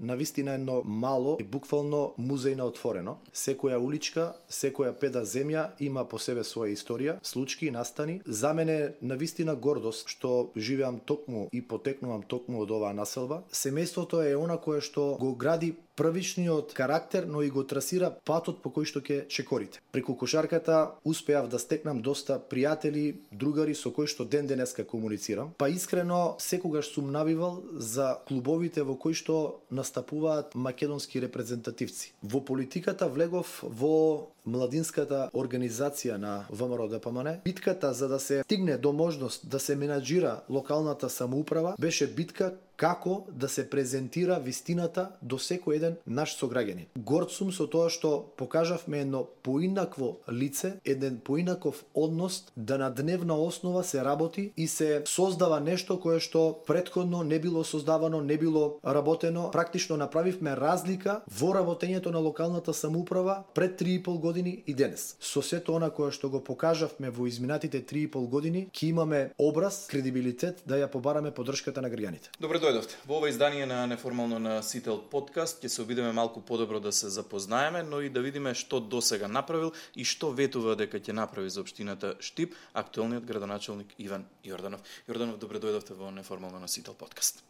навистина едно мало и буквално музеј на отворено. Секоја уличка, секоја педа земја има по себе своја историја, случки и настани. За мене навистина гордост што живеам токму и потекнувам токму од оваа населба. Семејството е она кое што го гради првичниот карактер, но и го трасира патот по кој што ќе чекорите. Преку кошарката успеав да стекнам доста пријатели, другари со кои што ден денеска комуницирам. Па искрено секогаш сум навивал за клубовите во кои што настапуваат македонски репрезентативци. Во политиката влегов во младинската организација на ВМРО ДПМН. Битката за да се стигне до можност да се менаџира локалната самоуправа беше битка како да се презентира вистината до секој еден наш сограѓанин. Горд сум со тоа што покажавме едно поинакво лице, еден поинаков однос, да на дневна основа се работи и се создава нешто кое што претходно не било создавано, не било работено. Практично направивме разлика во работењето на локалната самоуправа пред 3,5 години и денес. Со сето она кое што го покажавме во изминатите 3,5 години, ќе имаме образ, кредибилитет да ја побараме поддршката на граѓаните. Добре дојдовте. Во ова издание на Неформално на Сител подкаст ќе се обидеме малку подобро да се запознаеме, но и да видиме што досега направил и што ветува дека ќе направи за општината Штип актуелниот градоначалник Иван Јорданов. Јорданов, добре дојдовте во Неформално на Сител подкаст.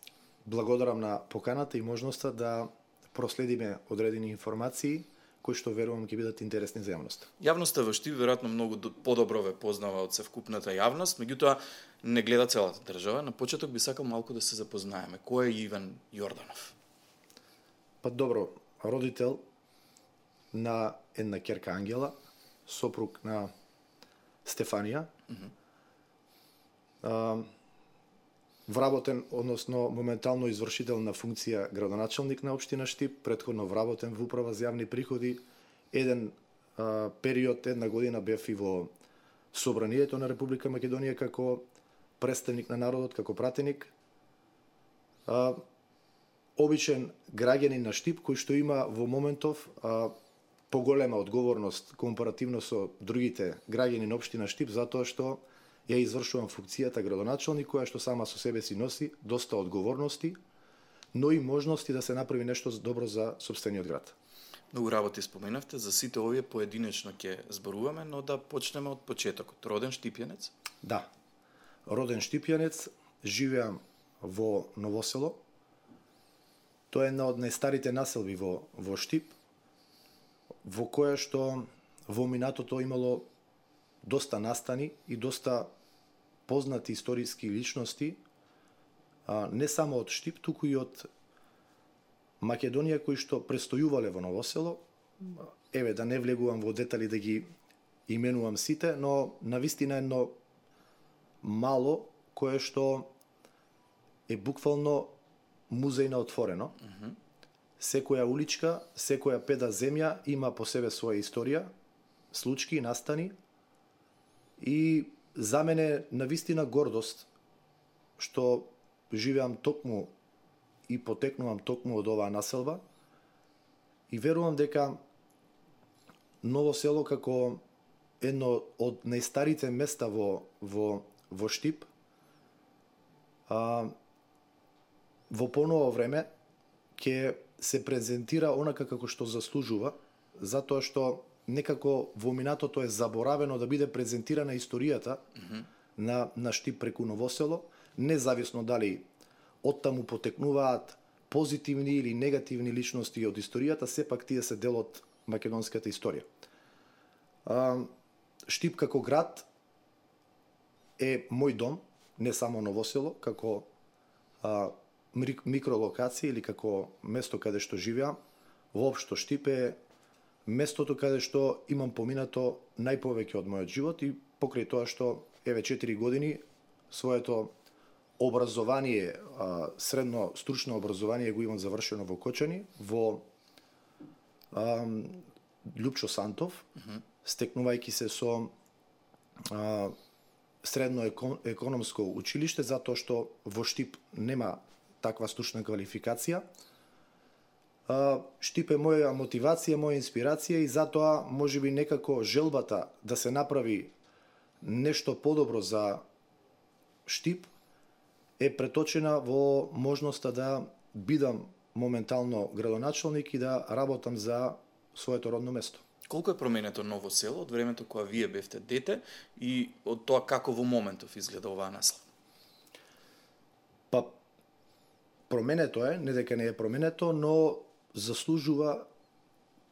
Благодарам на поканата и можноста да проследиме одредени информации кои што верувам ќе бидат интересни за јавноста. Јавноста во Штип веројатно многу подобро ве познава од севкупната јавност, меѓутоа не гледа целата држава. На почеток би сакал малку да се запознаеме. Кој е Иван Јорданов? Па добро, родител на една ќерка Ангела, сопруг на Стефанија. Вработен, односно моментално извршител на функција градоначалник на општина Штип, претходно вработен во управа за јавни приходи. Еден период, една година бев и во Собранието на Република Македонија како представник на народот, како пратеник. Обичен граѓанин на Штип кој што има во моментов поголема одговорност компаративно со другите граѓани на општина Штип, затоа што ја извршувам функцијата градоначалник, која што сама со себе си носи доста одговорности, но и можности да се направи нешто добро за сопствениот град. Многу работи споменавте, за сите овие поединечно ќе зборуваме, но да почнеме од почетокот. Роден штипјанец? Да. Роден штипјанец, живеам во Новосело. Тоа е една од најстарите населби во Штип, во која што во минатото имало доста настани и доста познати историски личности, не само од Штип, туку и од Македонија кои што престојувале во Новосело. Еве, да не влегувам во детали да ги именувам сите, но навистина едно мало кое што е буквално музеј на отворено. Секоја уличка, секоја педа земја има по себе своја историја, случки и настани. И за мене навистина гордост што живеам токму и потекнувам токму од оваа населба и верувам дека Новосело како едно од најстарите места во Штип во поново време ќе се презентира онака како што заслужува, затоа што некако во минатото е заборавено да биде презентирана историјата на Штип преку Новосело, независно дали оттаму потекнуваат позитивни или негативни личности од историјата, сепак тие се дел од македонската историја. Штип како град е мој дом, не само Новосело, како микролокација или како место каде што живеам. Воопшто Штип е местото каде што имам поминато најповеќе од мојот живот и покрај тоа што еве 4 години своето образование, средно стручно образование го имам завршено во Кочани, во Љупчо Сантов, стекнувајќи се со средно економско училиште, затоа што во Штип нема таква стручна квалификација. Штип е моја мотивација, моја инспирација и затоа можеби некако желбата да се направи нешто подобро за Штип е преточена во можноста да бидам моментално градоначалник и да работам за своето родно место. Колку е променето Ново село од времето кога вие бевте дете и од тоа како во моментов изгледа оваа наслава? Па, променето е, не дека не е променето, но заслужува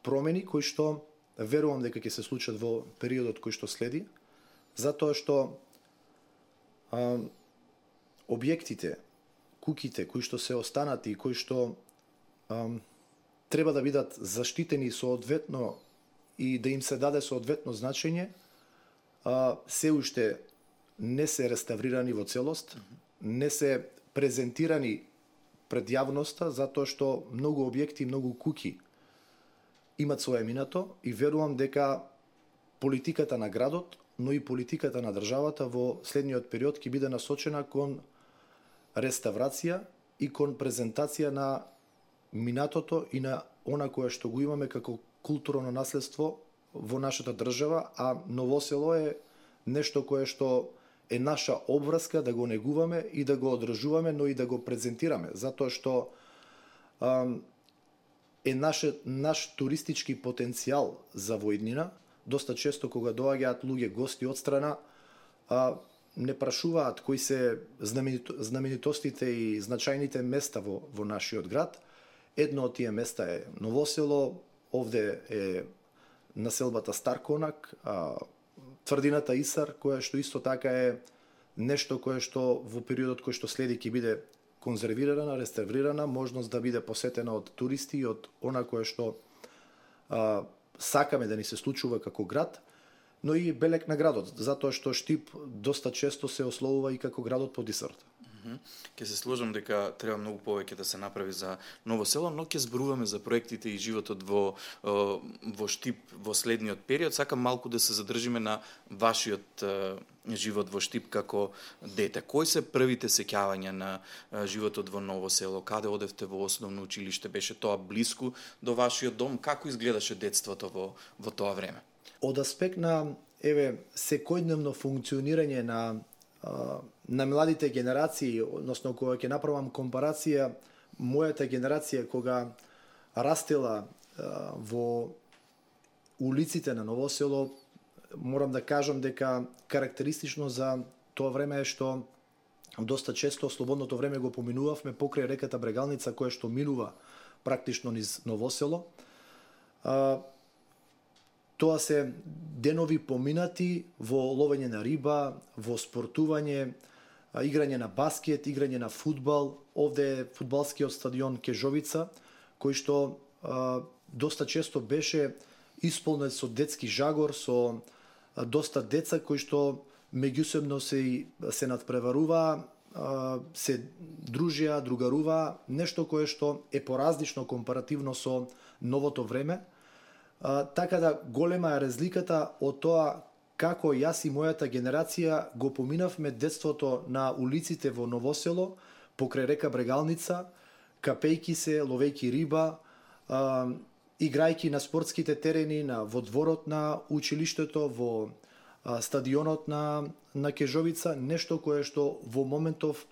промени кои што верувам дека ќе се случат во периодот кој што следи, затоа што објектите, куќите кои што се останати и кои што треба да бидат заштитени соодветно и да им се даде соодветно значење, се уште не се реставрирани во целост, не се презентирани пред јавноста, затоа што многу објекти, многу куќи имат своje минато и верувам дека политиката на градот, но и политиката на државата во следниот период ќе биде насочена кон реставрација и кон презентација на минатото и на она кое што го имаме како културно наследство во нашата држава, а Ново село е нешто кое што е наша обврска да го негуваме и да го одржуваме, но и да го презентираме, затоа што е наш туристички потенцијал за воиднина. Доста често кога доаѓаат луѓе гости од страна, не прашуваат кои се знаменитостите и значајните места во нашиот град. Едно од тие места е Ново село, овде е населбата Старконак, тврдината Исар, која што исто така е нешто кое што во периодот кој што следи ќе биде конзервирана, реставрирана, можност да биде посетена од туристи и од она кое што сакаме да ни се случува како град, но и белег на градот, затоа што Штип доста често се ословува и како градот под Исарот. Ке се сложам дека треба многу повеќе да се направи за Ново село, но ќе зборуваме за проектите и животот во Штип во следниот период. Сакам малку да се задржиме на вашиот живот во Штип како дете. Кои се првите сеќавања на животот во Ново село? Каде одевте во основно училиште? Беше тоа блиску до вашиот дом? Како изгледаше детството во тоа време? Од аспект на секојдневно функционирање на младите генерации, односно кога ќе направам компарација, мојата генерација кога растела во улиците на Ново село, морам да кажам дека карактеристично за тоа време е што доста често слободното време го поминувавме покрај реката Брегалница, која што минува практично низ Ново село. Тоа се денови поминати во ловење на риба, во спортување, играње на баскет, играње на фудбал. Овде е фудбалскиот стадион Кежовица, кој што доста често беше исполнет со детски жагор, со доста деца кои што меѓусебно се надпреваруваа, се дружија, другаруваа, нешто кое што е поразлично компаративно со новото време. Така да голема е разликата од тоа како јас и мојата генерација го поминавме детството на улиците во Ново село, покрај река Брегалница, капејки се, ловејки риба, играјки на спортските терени, во дворот на училиштето, во стадионот на Кежовица, нешто кое што во моментов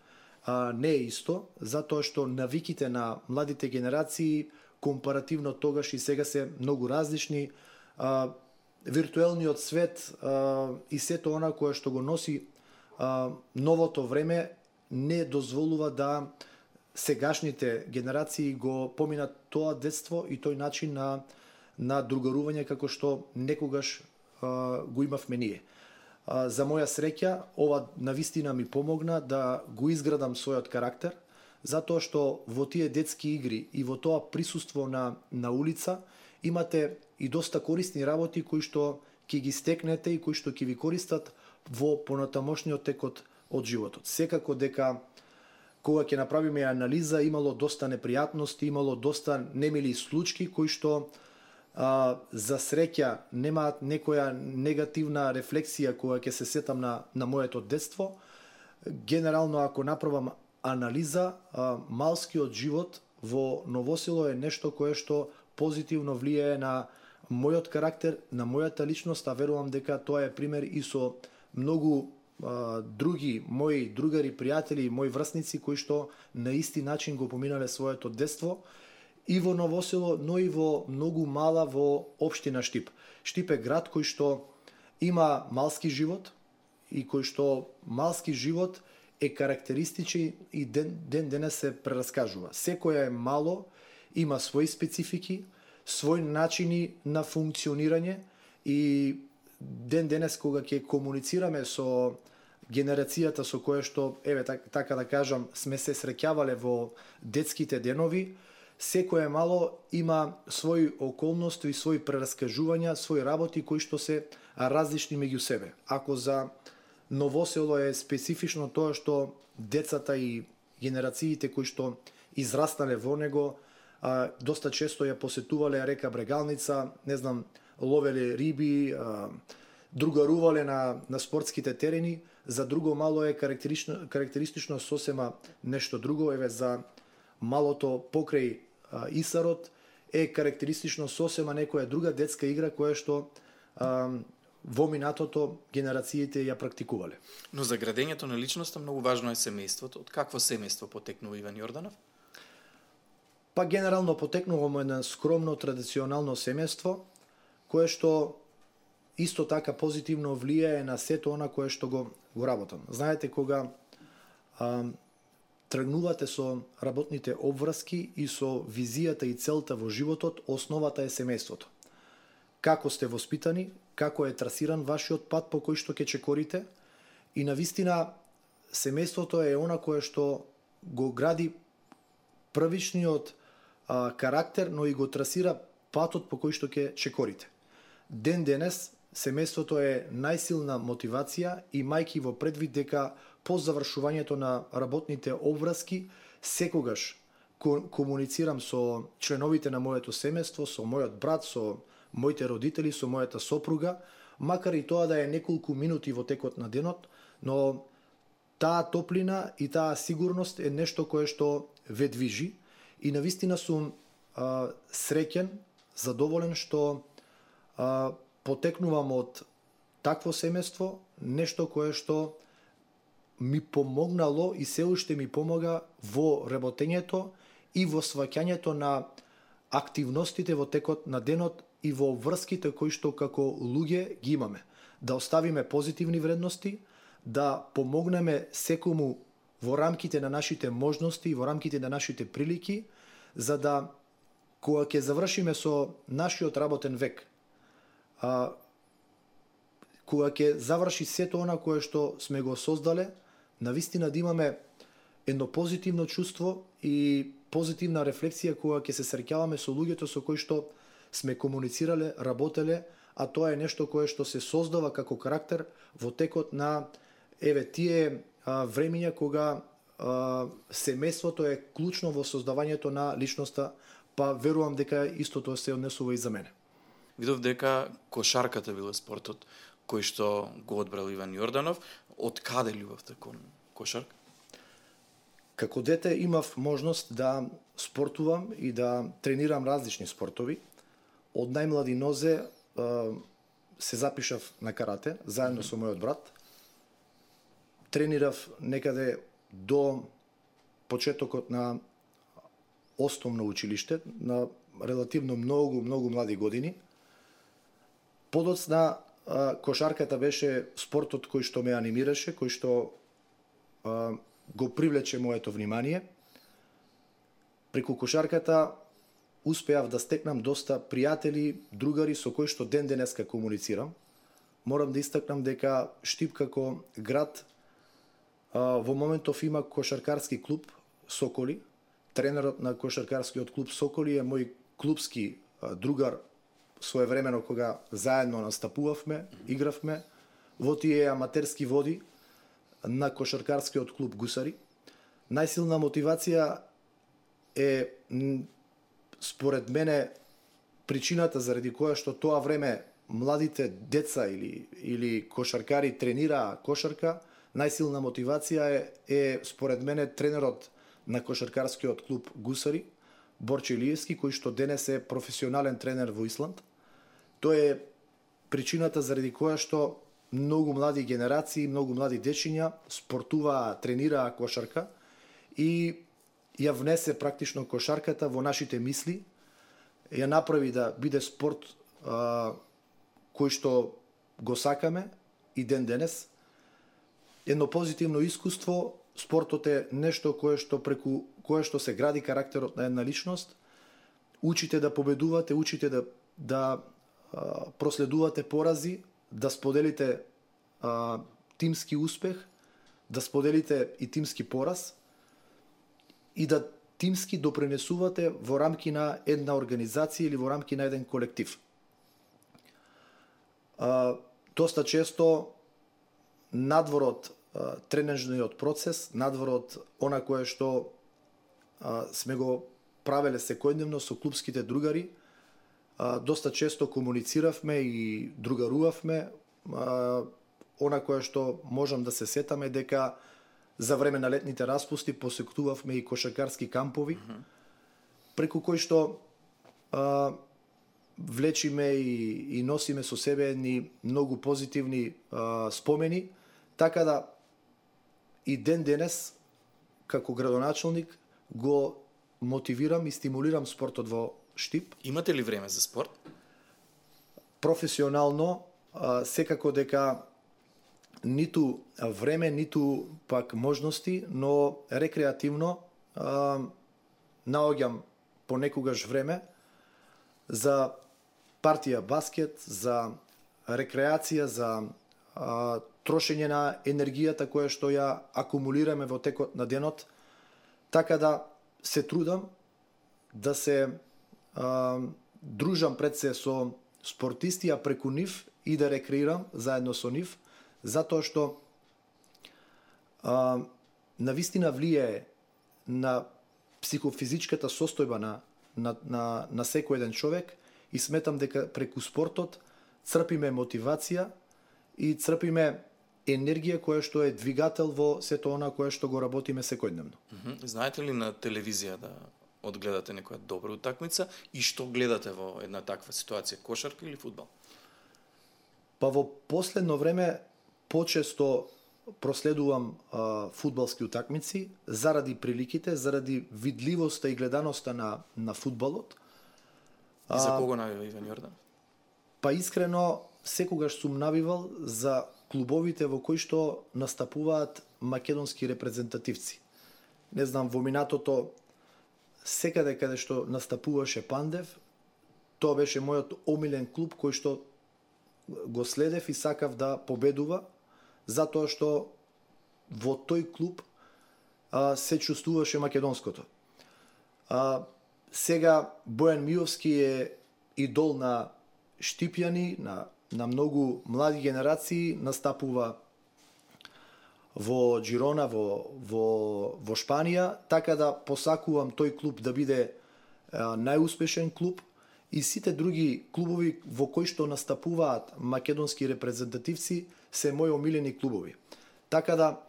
не е исто, затоа што навиките на младите генерации компаративно тогаш и сега се многу различни. Виртуелниот свет и сето она кое што го носи новото време не дозволува да сегашните генерации го поминат тоа детство и тој начин на другарување како што некогаш го имавме ние. За моја среќа, ова навистина ми помогна да го изградам својот карактер, затоа што во тие детски игри и во тоа присуство на улица имате и доста корисни работи кои што ќе ги стекнете и кои што ќе ви користат во понатамошниот тек од животот. Секако дека кога ќе направиме анализа, имало доста непријатности, имало доста немили случаи кои што за среќа немаат некоја негативна рефлексија кога ќе се сетам на моето детство. Генерално, ако направам анализа, малскиот живот во Ново село е нешто кое што позитивно влијае на мојот карактер, на мојата личност, а верувам дека тоа е пример и со многу други мои другари, пријатели, мои врсници кои што на исти начин го поминале своето детство и во Ново Село, но и во многу мала во општина Штип. Штип е град кој што има малски живот и кој што малски живот е карактеристичен и ден денес се прераскажува. Секоја е мало, има своји специфики, своји начини на функционирање и ден денес кога ќе комуницираме со генерацијата со која што, така да кажам, сме се среќавале во детските денови, секој мало има своји околности и своји прераскажувања, своји работи кои што се различни меѓу себе. Ако за Ново Село е специфично тоа што децата и генерациите кои што израснале во него, доста често ја посетувале река Брегалница, ловеле риби, другарувале на спортските терени, за друго мало е карактеристично сосема нешто друго. За малото покрај Исарот е карактеристично сосема некоја друга детска игра која што во минатото генерациите ја практикувале. Но за градењето на личноста многу важно е семејството. Од какво семејство потекнува Иван Јорданов? Па генерално потекнуваме на скромно традиционално семејство, кое што исто така позитивно влијае на сето она кое што го работам. Знаете, кога тргнувате со работните обврски и со визијата и целта во животот, основата е семејството. Како сте воспитани, како е трасиран вашиот пат по кој што ќе чекорите, и навистина семејството е она кое што го гради првичниот карактер, но и го трасира патот по кој што ќе чекорите. Ден денес семејството е најсилна мотивација, имајќи во предвид дека по завршувањето на работните обврски секогаш комуницирам со членовите на моето семејство, со мојот брат, со моите родители, со мојата сопруга, макар и тоа да е неколку минути во текот на денот, но таа топлина и таа сигурност е нешто кое што ве движи, и навистина сум среќен, задоволен што потекнувам од такво семејство, нешто кое што ми помогнало и се уште ми помога во работењето и во сваќањето на активностите во текот на денот и во врските кои што како луѓе ги имаме. Да оставиме позитивни вредности, да помогнеме секому во рамките на нашите можности и во рамките на нашите прилики, за да кога ќе завршиме со нашиот работен век, кога ќе заврши сето она кое што сме го создале, навистина да имаме едно позитивно чувство и позитивна рефлексија кога ќе се среќаваме со луѓето со кои што сме комуницирале, работеле, а тоа е нешто кое што се создава како карактер во текот на тие времиња кога семејството е клучно во создавањето на личноста, па верувам дека истото се однесува и за мене. Видов дека кошарката била спортот кој што го одбрал Иван Јорданов. Од каде љубовта кон кошарка? Како дете имав можност да спортувам и да тренирам различни спортови. Од најмлади нозе се запишав на карате, заедно со мојот брат. Тренирав некаде до почетокот на основно училиште, на релативно многу млади години. Подоцна кошарката беше спортот кој што ме анимираше, кој што го привлече моето внимание. Преку кошарката успеав да стекнам доста пријатели, другари со кои што ден денеска комуницирам. Морам да истакнам дека Штип како град во моментов има кошаркарски клуб Соколи. Тренерот на кошаркарскиот клуб Соколи е мој клубски другар своевремено кога заедно настапувавме, игравме во тие аматерски води на кошаркарскиот клуб Гусари. Најсилна мотивација е според мене причината заради која што тоа време младите деца или кошаркари тренираа кошарка. Најсилна мотивација е според мене тренерот на кошаркарскиот клуб Гусари, Борче Илиевски, кој што денес е професионален тренер во Исланд. Тоа е причината заради која што многу млади генерации, многу млади дечиња спортуваа, тренираа кошарка и ја внесе практично кошарката во нашите мисли, ја направи да биде спорт кој што го сакаме и ден денес. Едно позитивно искуство, спортот е нешто преку кое што се гради карактерот на една личност. Учите да победувате, учите да проследувате порази, да споделите тимски успех, да споделите и тимски пораз и да тимски допринесувате во рамки на една организација или во рамки на еден колектив. Доста често надвор од тренажниот процес, надвор од она кое што сме го правеле секојдневно со клубските другари, доста често комунициравме и другарувавме. Она кое што можам да се сетаме дека за време на летните распусти посетувавме и кошаркарски кампови, преку кои што влечиме и носиме со себе едни многу позитивни спомени, така да и ден денес како градоначалник го мотивирам и стимулирам спортот во Штип. Имате ли време за спорт? Професионално секако дека ниту време, ниту пак можности, но рекреативно наоѓам понекогаш време за партија баскет, за рекреација, за трошење на енергијата која што ја акумулираме во текот на денот, така да се трудам да се дружам пред се со спортисти, а преку нив и да рекреирам заедно со нив, затоа што навистина влијае на психофизичката состојба на секој еден човек и сметам дека преку спортот црпиме мотивација и црпиме енергија која што е двигател во сето она кое што го работиме секојдневно. Знаете ли на телевизија да одгледате некоја добра утакмица и што гледате во една таква ситуација, кошарка или фудбал? Па во последно време почесто проследувам фудбалски утакмици заради приликите, заради видливоста и гледаноста на фудбалот. И за кого навива Иван Јордан? Па искрено секогаш сум навивал за клубовите во кои што настапуваат македонски репрезентативци. Не знам, во минатото секаде каде што настапуваше Пандев, тоа беше мојот омилен клуб кој што го следев и сакав да победува, затоа што во тој клуб се чувствуваше македонското. Сега Бојан Миовски е идол на штипјани, на многу млади генерации, настапува во Джирона, во Шпанија, така да посакувам тој клуб да биде најуспешен клуб и сите други клубови во кои што настапуваат македонски репрезентативци се мои омилени клубови. Така да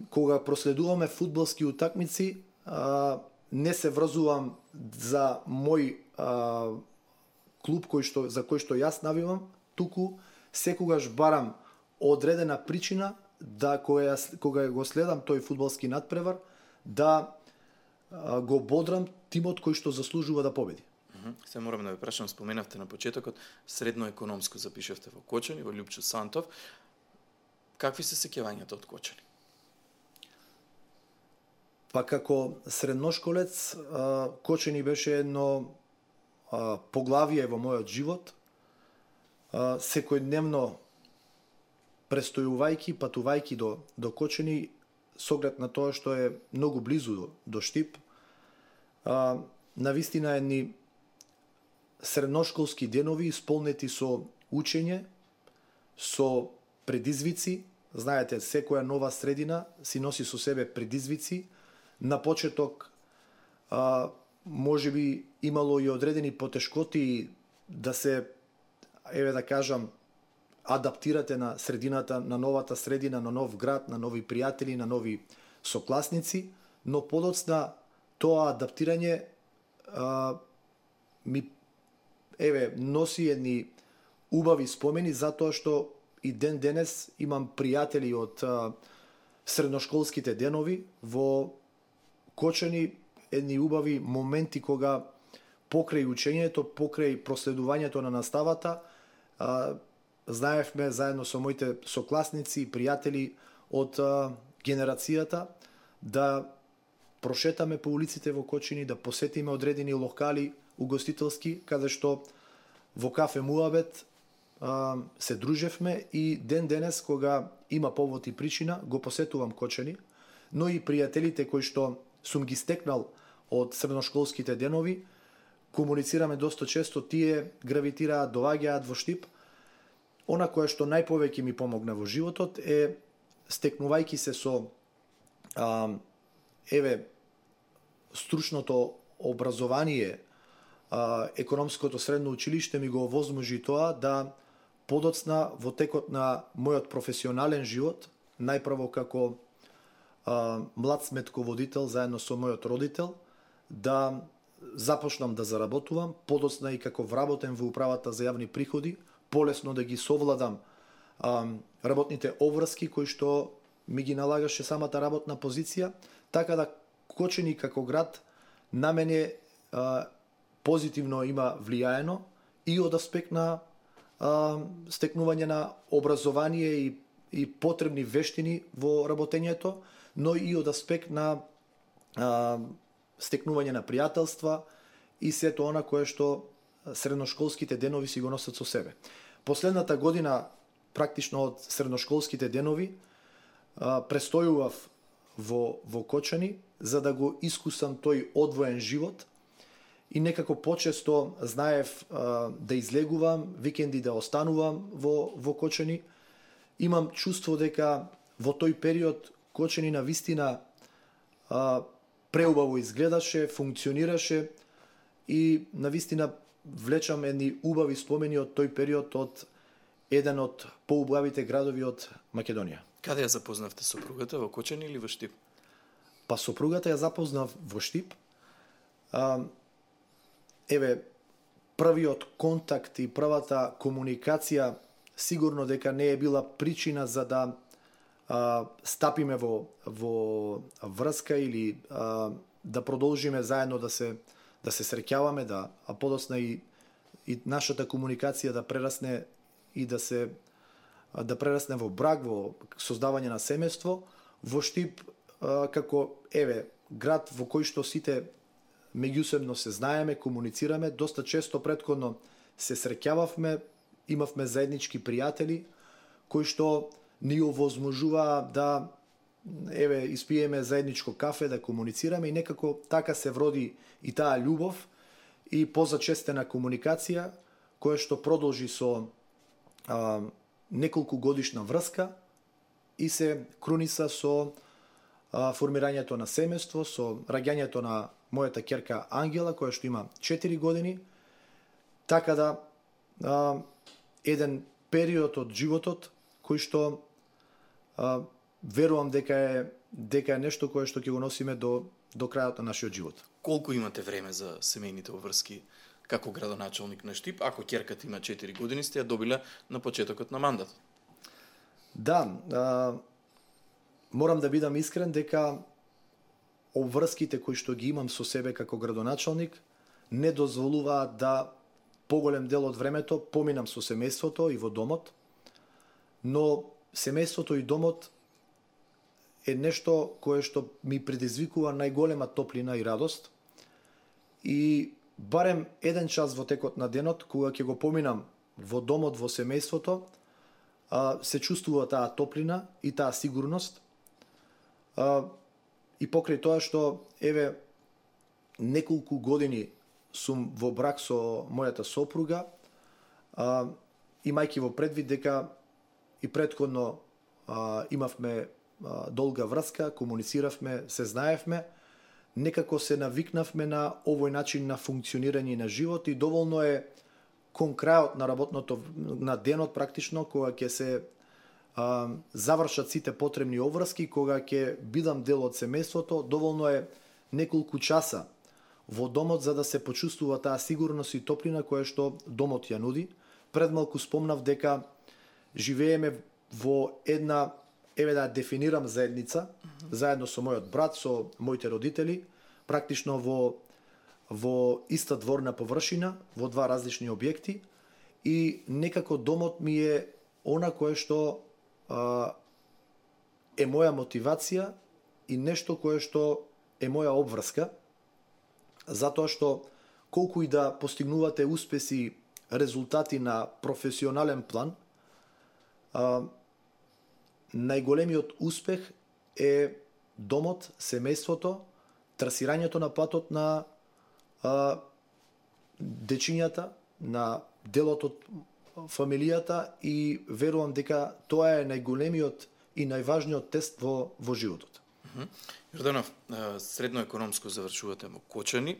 кога проследуваме фудбалски утакмици, не се врзувам за мој клуб за кој што јас навивам, туку секогаш барам одредена причина да кога го следам тој фудбалски надпревар, да го бодрам тимот кој што заслужува да победи. Се морам да ве прашам, споменавте на почетокот, средно економско запишавте во Кочани, во Љупчо Сантов. Какви се сеќавањата од Кочани? Па како средношколец, Кочани беше едно поглавие во мојот живот. Секојдневно престојувајќи, патувајќи до Кочани, со оглед на тоа што е многу близу до Штип, навистина едни средношколски денови исполнети со учење, со предизвици. Знаете, секоја нова средина си носи со себе предизвици. На почеток можеби имало и одредени потешкоти да се, да кажам, адаптирате на средината, на новата средина, на нов град, на нови пријатели, на нови сокласници, но подоцна тоа адаптирање ми носи едни убави спомени, затоа што и ден денес имам пријатели од средношколските денови во Кочани, едни убави моменти кога покрај учењето, покрај проследувањето на наставата, знаевме заедно со моите сокласници и пријатели од генерацијата да прошетаме по улиците во Кочани, да посетиме одредени локали угостителски, каде што во кафе Муабет се дружевме и ден денес кога има повод и причина го посетувам Кочани, но и пријателите кои што сум ги стекнал од средношколските денови, комуницираме доста често, тие гравитираат, доаѓаат во Штип. Она кое што најповеќе ми помогна во животот е стекнувајќи се со стручното образование, економското средно училиште ми го овозможи тоа да подоцна во текот на мојот професионален живот, најпрво како млад сметководител заедно со мојот родител, да започнам да заработувам, подоцна и како вработен во управата за јавни приходи, полесно да ги совладам работните обврски кои што ми ги налагаше самата работна позиција, така да Кочани како град на мене позитивно има влијаено и од аспект на стекнување на образование и потребни вештини во работењето, но и од аспект на стекнување на пријателства и сето она кое што средношколските денови си го носат со себе. Последната година, практично од средношколските денови, престојував во Кочани за да го искусам тој одвоен живот и некако почесто знаев да излегувам, викенди да останувам во Кочани. Имам чувство дека во тој период Кочани на вистина преубаво изгледаше, функционираше и на вистина влечам едни убави спомени од тој период од еден од поубавите градови од Македонија. Каде ја запознавте сопругата, во Кочани или во Штип? Па сопругата ја запознав во Штип. Првиот контакт и првата комуникација сигурно дека не е била причина за да стапиме во врска или да продолжиме заедно да се среќаваме, а подоцна и нашата комуникација да прерасне и да прерасне во брак, во создавање на семејство. Во Штип како град во кој што сите меѓусебно се знаеме, комуницираме, доста често претходно се среќававме, имавме заеднички пријатели кои што ни овозможуваа да испиеме заедничко кафе, да комуницираме и некако така се вроди и таа љубов и позачестена комуникација која што продолжи со неколку годишна врска и се круниса со формирањето на семејство, со раѓањето на мојата ќерка Ангела, која што има 4 години, така да еден период од животот кој што верувам дека е нешто кое што ќе го носиме до крајот на нашиот живот. Колку имате време за семејните обврски како градоначалник на Штип, ако ќерката има 4 години, сте ја добила на почетокот на мандат? Да, морам да бидам искрен дека обврските кои што ги имам со себе како градоначалник не дозволуваат да поголем дел од времето поминам со семејството и во домот, но семејството и домот е нешто кое што ми предизвикува најголема топлина и радост и барем еден час во текот на денот, кога ќе го поминам во домот, во семејството, се чувствува таа топлина и таа сигурност. И покрај тоа што, неколку години сум во брак со мојата сопруга, имајќи во предвид дека и претходно имавме долга врска, комунициравме, се знаевме, некако се навикнавме на овој начин на функционирање на живот и доволно е кон крајот на денот практично, кога ќе се завршат сите потребни обврски, кога ќе бидам дел од семејството, доволно е неколку часа во домот за да се почувствува таа сигурност и топлина која што домот ја нуди. Пред малку спомнав дека живееме во една еве да дефинирам заедница, заедно со мојот брат, со моите родители, практично во иста дворна површина, во два различни објекти, и некако домот ми е она кое што е моја мотивација и нешто кое што е моја обврска, затоа што колку и да постигнувате успеси, резултати на професионален план, најголемиот успех е домот, семејството, трасирањето на патот на дечињата, на делот од фамилијата, и верувам дека тоа е најголемиот и најважниот тест во животот. Јорданов, средно економско завршувате во Кочани,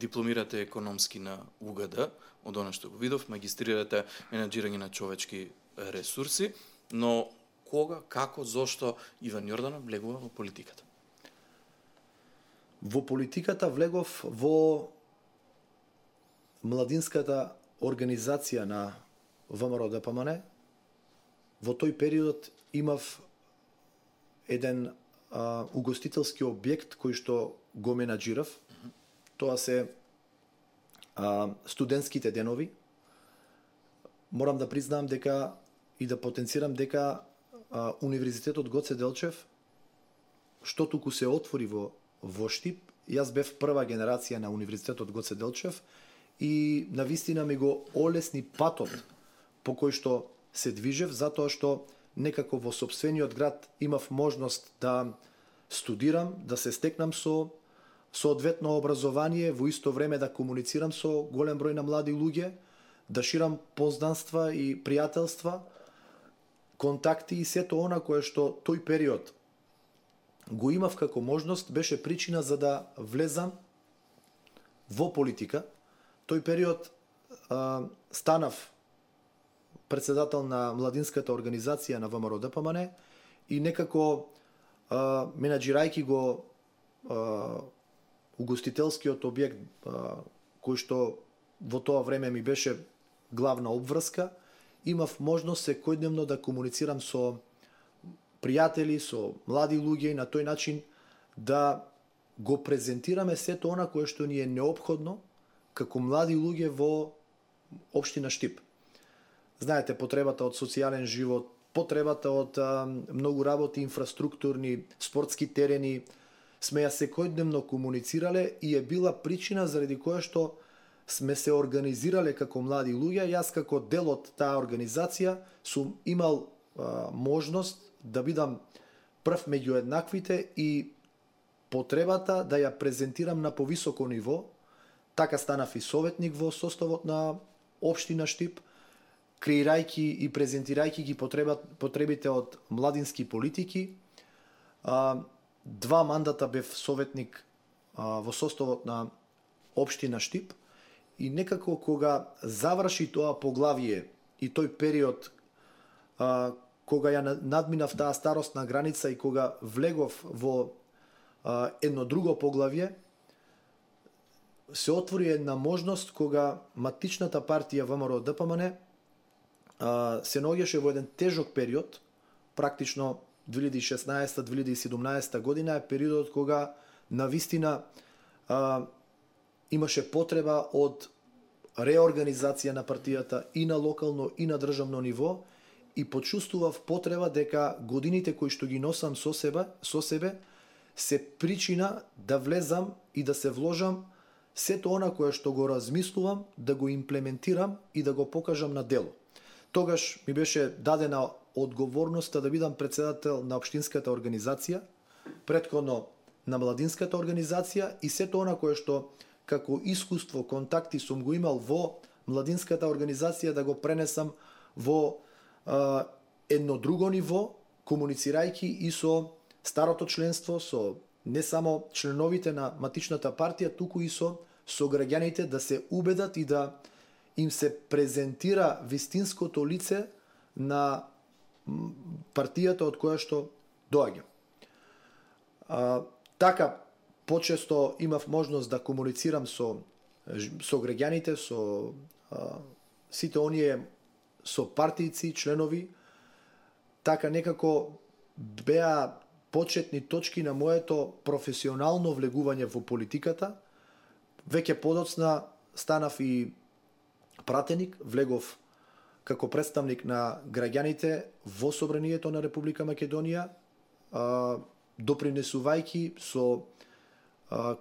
дипломирате економски на УГД, од она што го видов, магистрирате менаџирање на човечки ресурси, но кога, како, зошто Иван Јорданов влегува во политиката? Во политиката влегов во младинската организација на ВМРО ДПМН. Во тој период имав еден угостителски објект кој што го менаџирав. Тоа се студентските денови. Морам да признам дека и да потенцирам дека Универзитетот Гоце Делчев, што туку се отвори во Штип, јас бев прва генерација на Универзитетот Гоце Делчев и навистина ми го олесни патот по кој што се движев, затоа што некако во сопствениот град имав можност да студирам, да се стекнам со соодветно образование, во исто време да комуницирам со голем број на млади луѓе, да ширам познанства и пријателства, контакти, и сето она кое што тој период го имав како можност, беше причина за да влезам во политика. Тој период станав председател на младинската организација на ВМРО ДПМН и некако менаџирајќи го угостителскиот објект кој што во тоа време ми беше главна обврска, имав можност секојдневно да комуницирам со пријатели, со млади луѓе и на тој начин да го презентираме сето она кое што ни е неопходно како млади луѓе во општина Штип. Знаете, потребата од социјален живот, потребата од многу работи, инфраструктурни, спортски терени, сме ја секојдневно комуницирале и е била причина заради која што сме се организирале како млади луѓе. Јас како дел од таа организација сум имал можност да бидам прв меѓу еднаквите и потребата да ја презентирам на повисоко ниво. Така станав и советник во составот на општина Штип, креирајќи и презентирајќи ги потребите од младински политики. 2 мандата бев советник во составот на општина Штип и некако кога заврши тоа поглавие и тој период кога ја надминав таа старосна граница и кога влегов во едно друго поглавие, се отвори една можност кога матичната партија ВМРО ДПМН се наоѓаше во еден тежок период, практично 2016-2017 година е периодот кога навистина имаше потреба од реорганизација на партијата и на локално и на државно ниво и почувствував потреба дека годините кои што ги носам со себе се причина да влезам и да се вложам сето она кое што го размислувам, да го имплементирам и да го покажам на дело. Тогаш ми беше дадена одговорноста да бидам председател на општинската организација, претходно на младинската организација и сето она кое што како искуство, контакти сум го имал во младинската организација да го пренесам во едно друго ниво, комуницирајќи и со старото членство, со не само членовите на матичната партија, туку и со граѓаните да се убедат и да им се презентира вистинското лице на партијата од која што доаѓа. Така, почесто имав можност да комуницирам со граѓаните, со сите оние со партијци, членови, така некако беа почетни точки на моето професионално влегување во политиката. Веќе подоцна станав и пратеник, влегов како представник на граѓаните во Собранието на Република Македонија, допринесувајќи со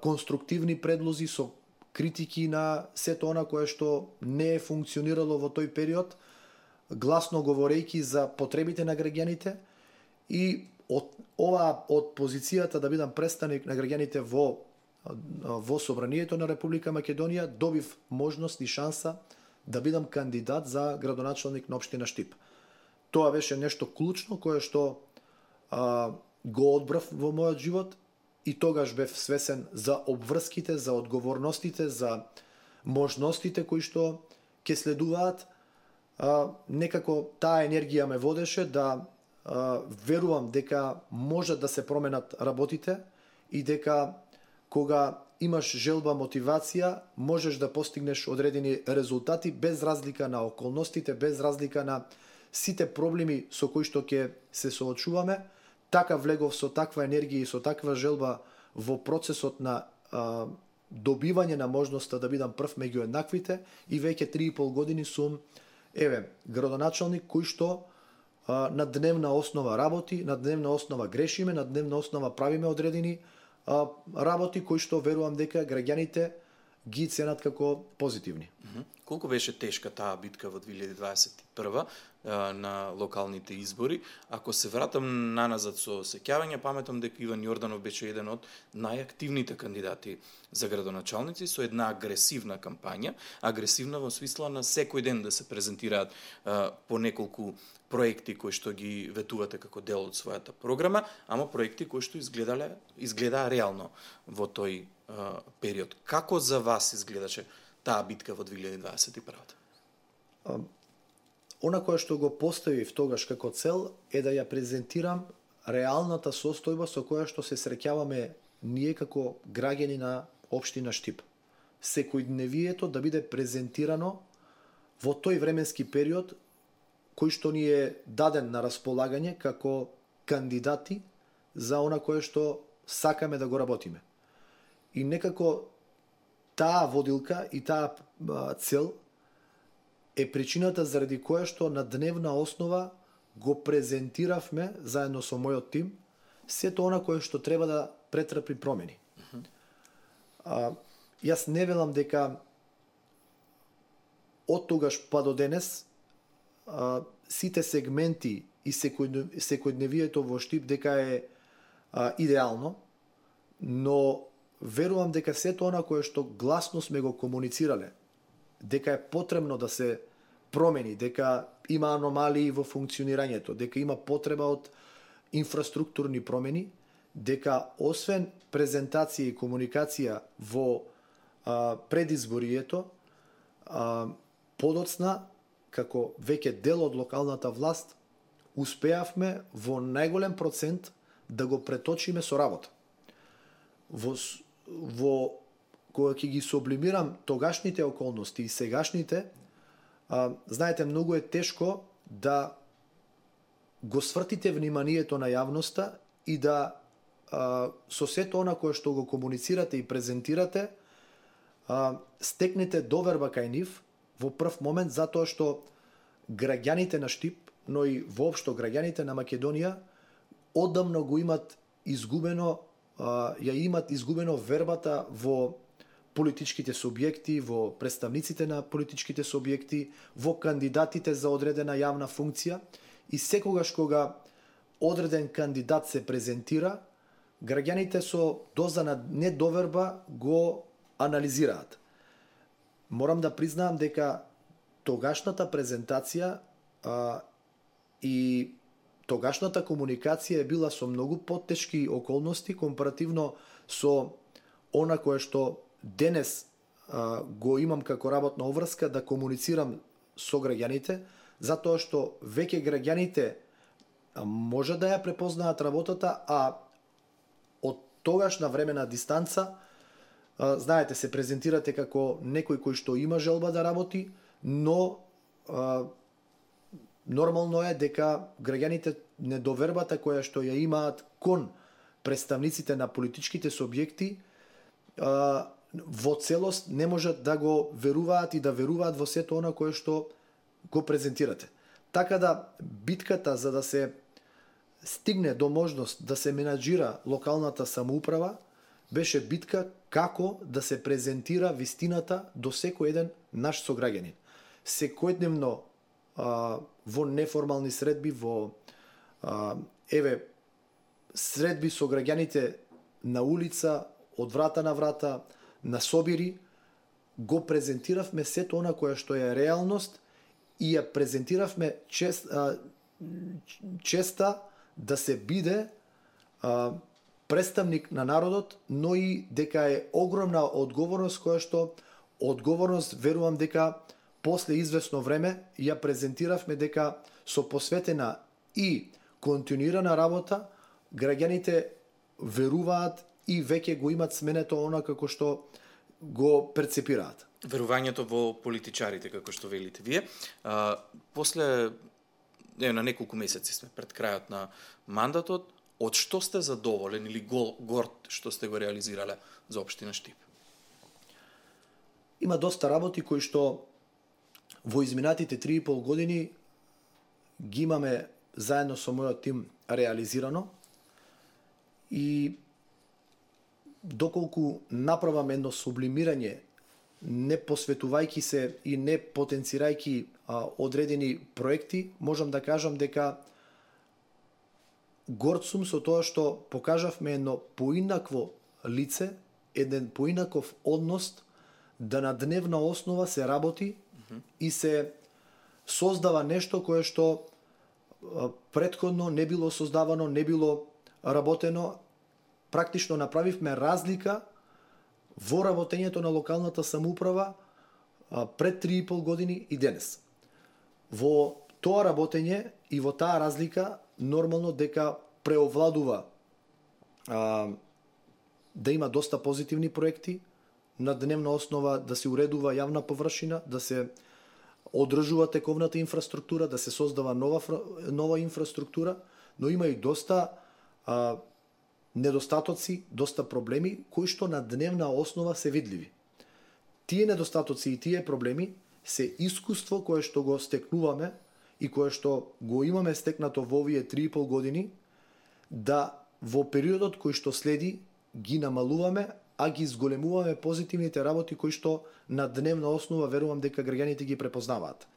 конструктивни предлози, со критики на сето она кое што не е функционирало во тој период, гласно говорејќи за потребите на граѓаните, и од позицијата да бидам представник на граѓаните во Собранието на Република Македонија, добив можност и шанса да бидам кандидат за градоначалник на општина Штип. Тоа беше нешто клучно кое што го одбрав во мојот живот, и тогаш бев свесен за обврските, за одговорностите, за можностите кои што ќе следуваат. Некако таа енергија ме водеше да верувам дека може да се променат работите и дека кога имаш желба, мотивација, можеш да постигнеш одредени резултати без разлика на околностите, без разлика на сите проблеми со кои што ќе се соочуваме. Така влегов со таква енергија и со таква желба во процесот на добивање на можноста да бидам прв меѓу еднаквите, и веќе 3,5 години сум градоначалник кој што на дневна основа работи, на дневна основа грешиме, на дневна основа правиме одредени работи кои што верувам дека граѓаните ги ценат како позитивни. Колку беше тешка таа битка во 2021 на локалните избори? Ако се вратам наназад со сеќавање, паметам дека Иван Јорданов беше еден од најактивните кандидати за градоначалници, со една агресивна кампања, агресивна во смисла на секој ден да се презентираат по неколку проекти кои што ги ветувате како дел од својата програма, ама проекти кои што изгледаа реално во тој период. Како за вас изгледаше таа битка во 2021? Она кое што го поставив тогаш како цел е да ја презентирам реалната состојба со која што се среќаваме ние како граѓани на општина Штип. Секојдневието да биде презентирано во тој временски период кој што ни е даден на располагање како кандидати за она кое што сакаме да го работиме. И некако таа водилка и таа цел е причината заради која што на дневна основа го презентиравме заедно со мојот тим сето она кое што треба да претрпи промени. Јас не велам дека од тогаш па до денес сите сегменти и секојдневието во Штип дека е идеално, но верувам дека сето она кое што гласно сме го комуницирале, дека е потребно да се промени, дека има аномалии во функционирањето, дека има потреба од инфраструктурни промени, дека освен презентација и комуникација во предизборието, подоцна, како веќе дел од локалната власт, успеавме во најголем процент да го преточиме со работа. Кога ќе ги сублимирам тогашните околности и сегашните, знаете, многу е тешко да го свртите вниманието на јавноста и да со сето она кое што го комуницирате и презентирате, стекнете доверба кај нив во прв момент, затоа што граѓаните на Штип, но и воопшто граѓаните на Македонија одамна го имат изгубено, вербата во политичките субјекти, во представниците на политичките субјекти, во кандидатите за одредена јавна функција, и секогаш кога одреден кандидат се презентира, граѓаните со доза на недоверба го анализираат. Морам да признаам дека тогашната презентација и тогашната комуникација е била со многу потешки околности компаративно со она кое што денес го имам како работна обврска да комуницирам со граѓаните, затоа што веќе граѓаните може да ја препознаат работата, а од тогашна времена дистанца, знаете, се презентирате како некој кој што има желба да работи, но нормално е дека граѓаните недовербата која што ја имаат кон представниците на политичките субјекти во целост не можат да го веруваат и да веруваат во сето она кое што го презентирате. Така да битката за да се стигне до можност да се менаџира локалната самоуправа беше битка како да се презентира вистината до секој еден наш сограѓанин. Секојдневно во неформални средби, во средби со граѓаните на улица, од врата на врата, на собири, го презентиравме сето она кое што е реалност и ја презентиравме честа да се биде представник на народот, но и дека е огромна одговорност која што верувам дека после известно време ја презентиравме дека со посветена и континуирана работа граѓаните веруваат и веќе го имат сменето она како што го перцепираат. Верувањето во политичарите, како што велите вие. После на неколку месеци сме пред крајот на мандатот, од што сте задоволен или горд што сте го реализирале за општина Штип? Има доста работи кои што во изминатите 3,5 години ги имаме заедно со мојот тим реализирано и доколку направам едно сублимирање, не посветувајќи се и не потенцирајќи одредени проекти, можам да кажам дека горд сум со тоа што покажавме едно поинакво лице, еден поинаков однос, да на дневна основа се работи и се создава нешто кое што претходно не било создавано, не било работено. Практично направивме разлика во работењето на локалната самоуправа пред 3,5 години и денес. Во тоа работење и во таа разлика нормално дека преовладува да има доста позитивни проекти, на дневна основа да се уредува јавна површина, да се одржува тековната инфраструктура, да се создава нова инфраструктура, но има и доста недостатоци, доста проблеми кои што на дневна основа се видливи. Тие недостатоци и тие проблеми се искуство кое што го стекнуваме и кое што го имаме стекнато во овие 3,5 години, да во периодот кој што следи ги намалуваме, а ги зголемуваме позитивните работи кои што на дневна основа верувам дека граѓаните ги препознаваат.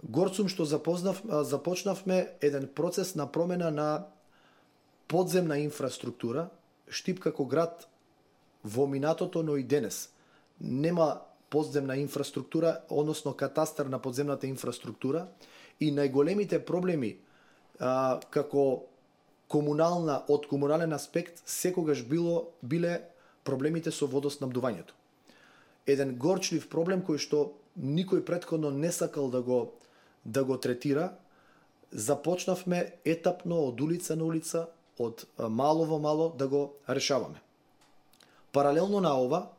Горд сум што започнавме еден процес на промена на подземна инфраструктура. Штип како град во минатото, но и денес нема подземна инфраструктура, односно катастар на подземната инфраструктура, и најголемите проблеми како од комунален аспект секогаш биле проблемите со водоснабдувањето. Еден горчлив проблем кој што никој претходно не сакал да го третира. Започнавме етапно од улица на улица, од мало во мало да го решаваме. Паралелно на ова,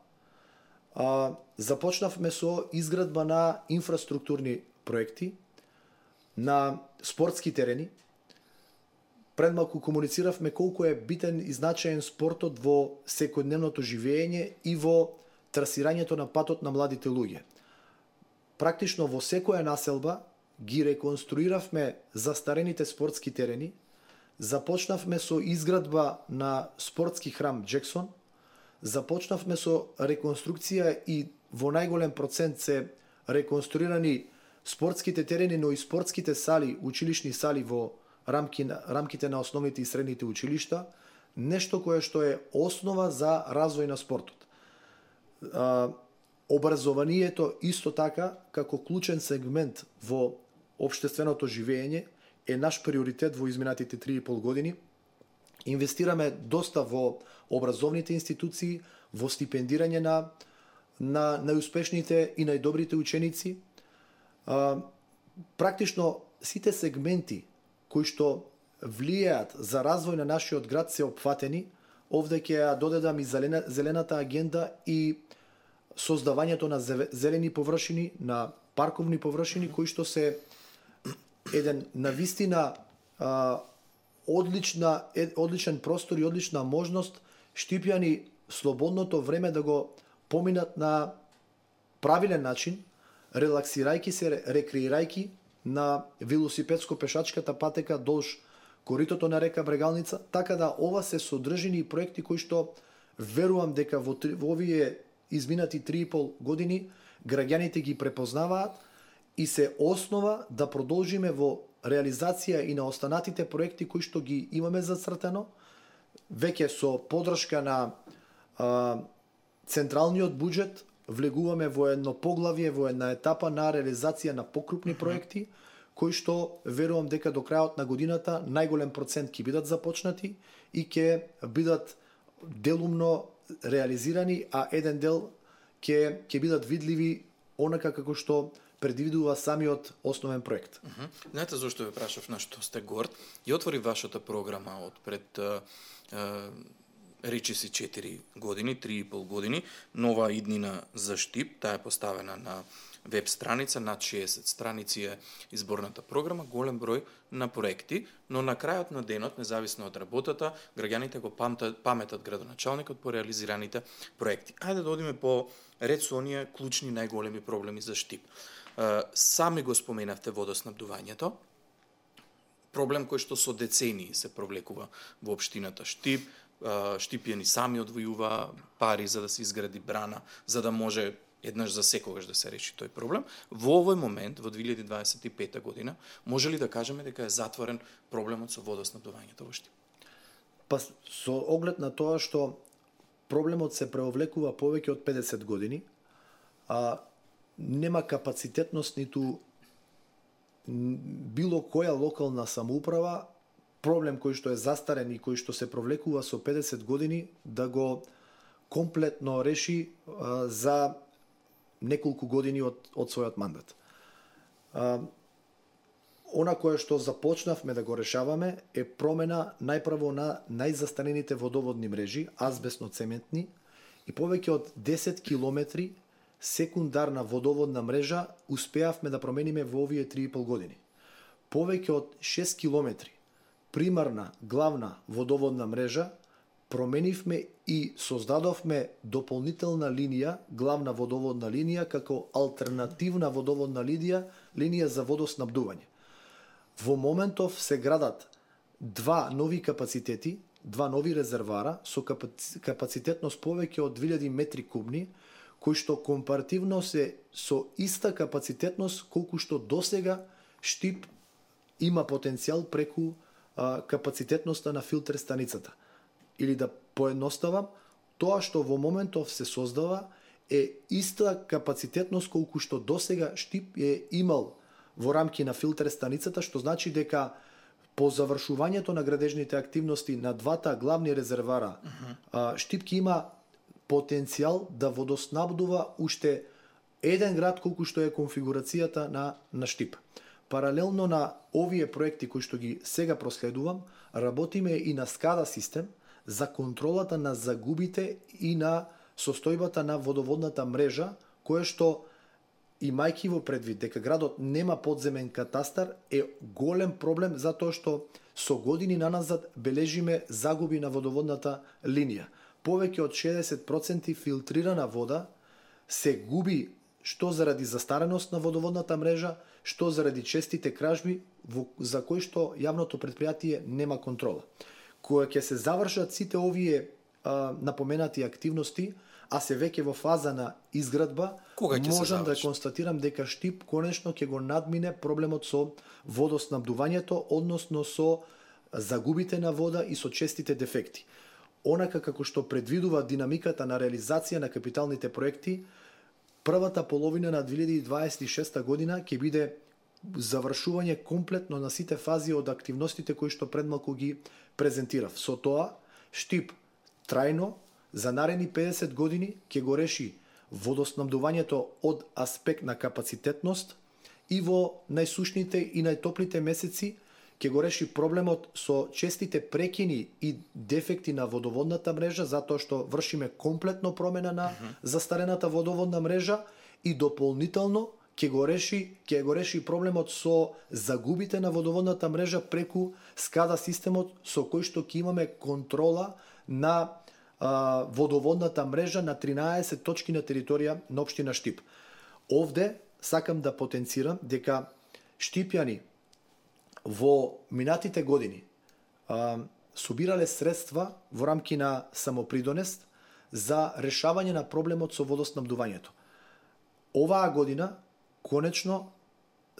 започнавме со изградба на инфраструктурни проекти, на спортски терени. Пред малку комунициравме колку е битен и значаен спортот во секојдневното живење и во трасирањето на патот на младите луѓе. Практично во секоја населба ги реконструиравме застарените спортски терени, започнавме со изградба на спортски храм Джексон, започнавме со реконструкција и во најголем процент се реконструирани спортските терени, но и спортските сали, училишни сали во рамките на основните и средните училишта, нешто кое што е основа за развој на спортот. Образованието исто така, како клучен сегмент во општественото живење, е наш приоритет во изминатите 3,5 години. Инвестираме доста во образовните институции, во стипендирање на најуспешните и најдобрите ученици. Практично сите сегменти кои што влијаат за развој на нашиот град се опфатени. Овде ќе ја додедам и зелената агенда и создавањето на зелени површини, на парковни површини кои што се еден навистина одличен простор и одлична можност Штипјани слободното време да го поминат на правилен начин, релаксирајќи се, рекреирајќи на велосипедско-пешачката патека долж коритото на река Брегалница, така да ова се содржини и проекти кои што верувам дека во овие изминати 3,5 години граѓаните ги препознаваат и се основа да продолжиме во реализација и на останатите проекти кои што ги имаме зацртано, веќе со поддршка на централниот буџет, влегуваме во едно поглавје, во една етапа на реализација на покрупни проекти, кои што верувам дека до крајот на годината најголем процент ќе бидат започнати и ќе бидат делумно реализирани, а еден дел ќе бидат видливи онака како што предвидува самиот основен проект. Знаете зошто ве прашав на што сте горд? Ја отвори вашата програма од пред речиси 4 години, 3,5 години, нова иднина за Штип, таа е поставена на веб страница, над 60 страници е изборната програма, голем број на проекти, но на крајот на денот, независно од работата, граѓаните го паметат градоначалникот по реализираните проекти. Ајде да одиме по ред со оние клучни најголеми проблеми за Штип. Сами го споменавте водоснабдувањето, проблем кој што со децении се провлекува во општината Штип, Штипјани сами одвојува пари за да се изгради брана, за да може еднаш за секогаш да се реши тој проблем. Во овој момент, во 2025 година, може ли да кажеме дека е затворен проблемот со водоснабдувањето во Штип? Па со оглед на тоа што проблемот се преовлекува повеќе од 50 години, нема капацитетност ниту било која локална самоуправа проблем кој што е застарен и кој што се провлекува со 50 години да го комплетно реши за неколку години од својот мандат. Она кое што започнавме да го решаваме е промена најпрво на најзастарените водоводни мрежи, азбесно-цементни, и повеќе од 10 километри секундарна водоводна мрежа успеавме да промениме во овие 3,5 години. Повеќе од 6 километри примарна главна водоводна мрежа променивме и создадовме дополнителна линија, главна водоводна линија, како алтернативна водоводна линија за водоснабдување. Во моментов се градат два нови капацитети, два нови резервара со капацитетност повеќе од 2000 метри кубни, кои што компаративно се со иста капацитетност колку што досега Штип има потенцијал преку капацитетноста на филтер станицата. Или да поедноставам, тоа што во моментов се создава е иста капацитетност колку што досега Штип е имал во рамки на филтер станицата, што значи дека по завршувањето на градежните активности на двата главни резервара, Штип ќе има потенцијал да водоснабдува уште еден град колку што е конфигурацијата на Штип. Паралелно на овие проекти кои што ги сега проследувам, работиме и на SCADA систем за контролата на загубите и на состојбата на водоводната мрежа, кое што, имајќи во предвид дека градот нема подземен катастар, е голем проблем затоа што со години наназад бележиме загуби на водоводната линија. Повеќе од 60% филтрирана вода се губи што заради застареност на водоводната мрежа, што заради честите кражби за кои што јавното претпријатие нема контрола. Кога ќе се завршат сите овие напоменати активности, а се веќе во фаза на изградба, можам да констатирам дека Штип конечно ќе го надмине проблемот со водоснабдувањето, односно со загубите на вода и со честите дефекти. Онака како што предвидува динамиката на реализација на капиталните проекти, првата половина на 2026 година ќе биде завршување комплетно на сите фази од активностите кои што предмалку ги презентирав. Со тоа, Штип трајно за наредни 50 години ќе го реши водоснабдувањето од аспект на капацитетност и во најсушните и најтоплите месеци ќе го реши проблемот со честите прекини и дефекти на водоводната мрежа, затоа што вршиме комплетно промена на застарената водоводна мрежа и дополнително ќе го реши проблемот со загубите на водоводната мрежа преку скада системот со кој што ќе имаме контрола на водоводната мрежа на 13 точки на територија на општина Штип. Овде сакам да потенцирам дека штипјани во минатите години собирале средства во рамки на самопридонест за решавање на проблемот со водоснабдувањето. Оваа година конечно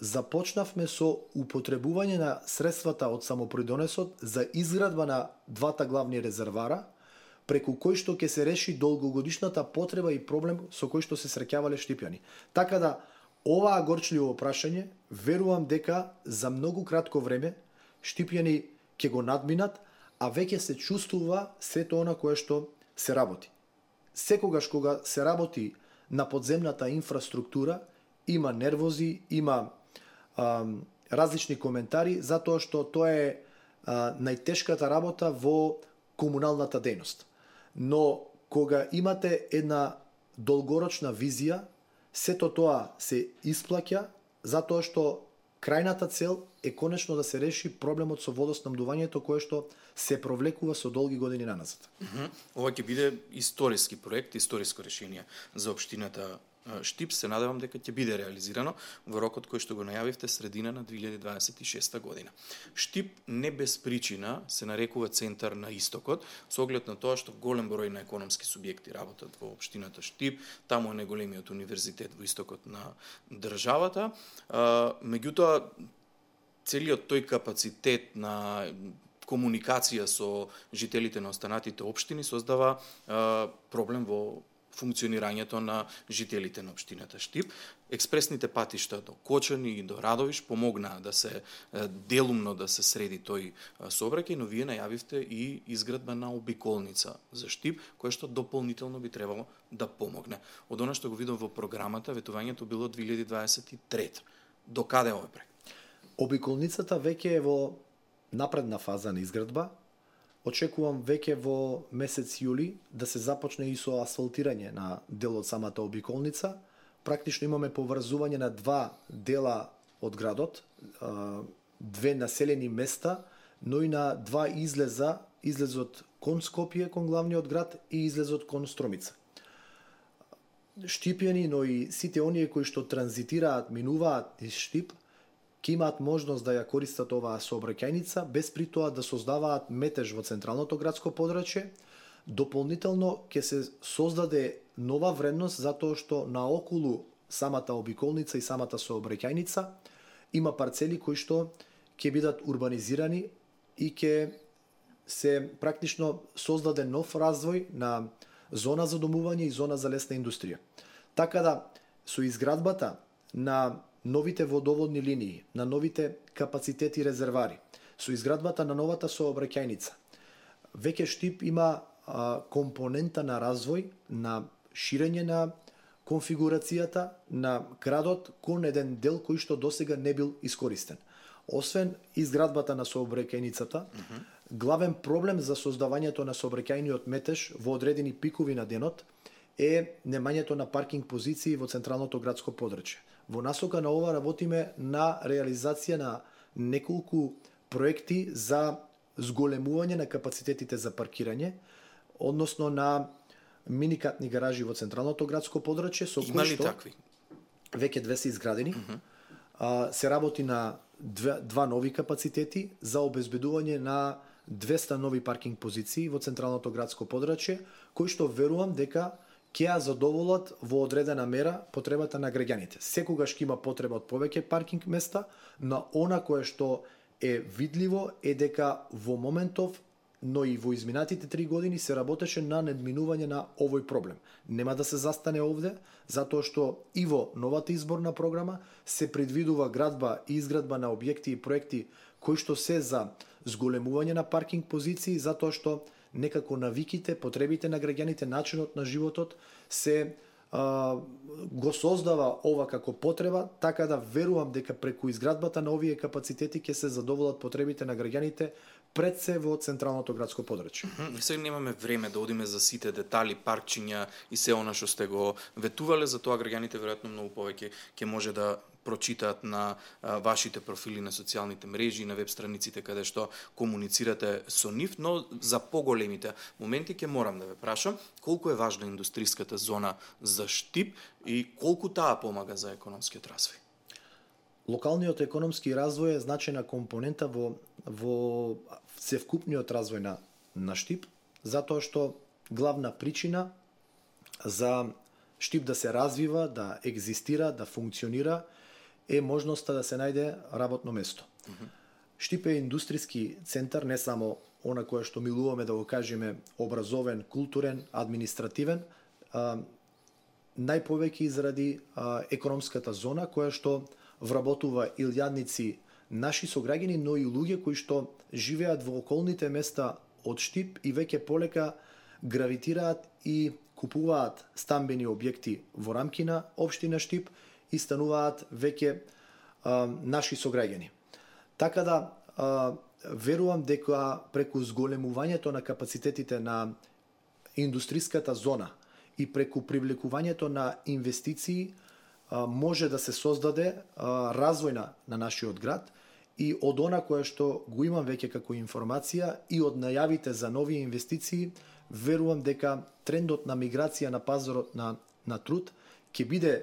започнавме со употребување на средствата од самопридонесот за изградба на двата главни резервара, преку кој што ќе се реши долгогодишната потреба и проблем со кој што се среќавале штипјани. Така да, оваа горчливо прашање, верувам дека за многу кратко време штипјани ќе го надминат, а веќе се чувствува сето она кое што се работи. Секогаш кога се работи на подземната инфраструктура, има нервози, има различни коментари, затоа што тоа е најтешката работа во комуналната дејност. Но кога имате една долгорочна визија, сето тоа се исплаќа, затоа што крајната цел е конечно да се реши проблемот со водоснабдувањето кое што се провлекува со долги години наназад. Ова ќе биде историски проект, историско решение за општината Штип. Се надевам дека ќе биде реализирано во рокот кој што го најавивте средина на 2026 година. Штип не без причина се нарекува центар на истокот, со оглед на тоа што голем број на економски субјекти работат во општината Штип, таму е најголемиот универзитет во истокот на државата. Меѓутоа, целиот тој капацитет на комуникација со жителите на останатите општини создава проблем во функционирањето на жителите на општината Штип. Експресните патишта до Кочани и до Радовиш помогнаа да се делумно да се среди тој сообраќај, но вие најавивте и изградба на обиколница за Штип, која што дополнително би требало да помогне. Од она што го видам во програмата, ветувањето било 2023. До каде овој проект? Обиколницата веќе е во напредна фаза на изградба. Очекувам веќе во месец јули да се започне и со асфалтирање на дел од самата обиколница. Практично имаме поврзување на два дела од градот, две населени места, но и на два излезот кон Скопје, кон главниот град и излезот кон Стромица. Штипјани, но и сите оние кои што транзитираат, минуваат из Штип, ќе имаат можност да ја користат оваа сообраќајница, без при тоа да создаваат метеж во централното градско подрачје. Дополнително ќе се создаде нова вредност затоа што наоколу самата обиколница и самата сообраќајница има парцели кои што ќе бидат урбанизирани и ќе се практично создаде нов развој на зона за домување и зона за лесна индустрија. Така да, со изградбата на новите водоводни линии, на новите капацитети резервари, со изградбата на новата сообраќајница, веќе Штип има компонента на развој, на ширење на конфигурацијата на градот кон еден дел кој што досега не бил искористен. Освен изградбата на сообраќајницата, главен проблем за создавањето на сообраќајниот метеж во одредени пикови на денот е немањето на паркинг позиции во централното градско подрачје. Во насока на ова работиме на реализација на неколку проекти за зголемување на капацитетите за паркирање, односно на миникатни гаражи во централното градско подрачје, со кои што такви? Веќе две се изградени. Се работи на два нови капацитети за обезбедување на 200 нови паркинг позиции во централното градско подрачје, кои што верувам дека ќе ја задоволат во одредена мера потребата на граѓаните. Секогаш ќе има потреба од повеќе паркинг места, но она кое што е видливо е дека во моментов, но и во изминатите 3 години се работеше на надминување на овој проблем. Нема да се застане овде, затоа што и во новата изборна програма се предвидува градба и изградба на објекти и проекти кои што се за зголемување на паркинг позиции, затоа што некако навиките, потребите на граѓаните, начинот на животот се го создава ова како потреба, така да верувам дека преку изградбата на овие капацитети ќе се задоволат потребите на граѓаните пред се во централното градско подрачје. Сега немаме време да одиме за сите детали, паркчиња и се она што сте го ветувале, за тоа граѓаните веројатно многу повеќе ќе може да прочитаат на вашите профили на социјалните мрежи, на веб страниците каде што комуницирате со нив, но за поголемите моменти ќе морам да ве прашам колку е важна индустријската зона за Штип и колку таа помага за економскиот развој. Локалниот економски развој е значајна компонента во севкупниот развој на Штип, затоа што главна причина за Штип да се развива, да екзистира, да функционира е можноста да се најде работно место. Штип е индустријски центар, не само она кое што милуваме да го кажеме образовен, културен, административен, најповеќе заради економската зона која што вработува илјадници наши сограѓани, но и луѓе кои што живеат во околните места од Штип и веќе полека гравитираат и купуваат стамбени објекти во рамки на општина Штип и стануваат веќе наши сограѓани. Така да верувам дека преку зголемувањето на капацитетите на индустријската зона и преку привлекувањето на инвестиции може да се создаде развој на нашиот град и од она кое што го имам веќе како информација и од најавите за нови инвестиции, верувам дека трендот на миграција на пазарот на труд ќе биде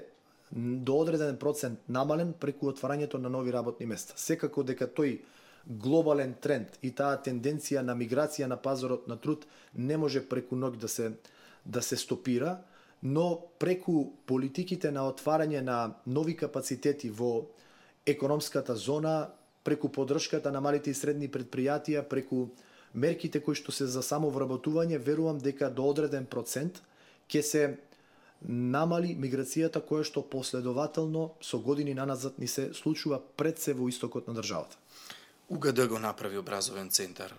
до одреден процент намален преку отварањето на нови работни места. Секако дека тој глобален тренд и таа тенденција на миграција на пазарот на труд не може преку ноќ да се стопира, но преку политиките на отварање на нови капацитети во економската зона, преку поддршката на малите и средни предпријатија, преку мерките кои што се за самовработување, верувам дека до одреден процент ќе се намали миграцијата која што последователно со години наназад ни се случува пред се во истокот на државата. УГД го направи образовен центар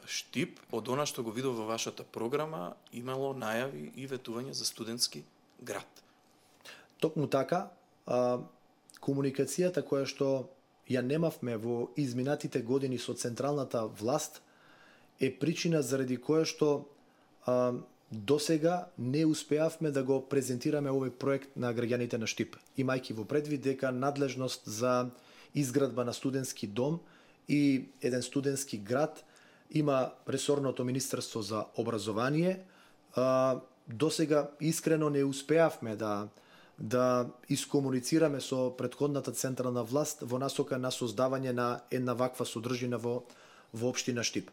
Штип, од она што го видов во вашата програма, имало најави и ветување за студентски град. Токму така, комуникацијата која што ја немавме во изминатите години со централната власт е причина заради која што досега не успеавме да го презентираме овој проект на граѓаните на Штип, имајќи во предвид дека надлежност за изградба на студентски дом и еден студентски град има ресорното Министерство за образование. Досега искрено не успеавме да искомуницираме со претходната централна власт во насока на создавање на една ваква содржина во општина Штип.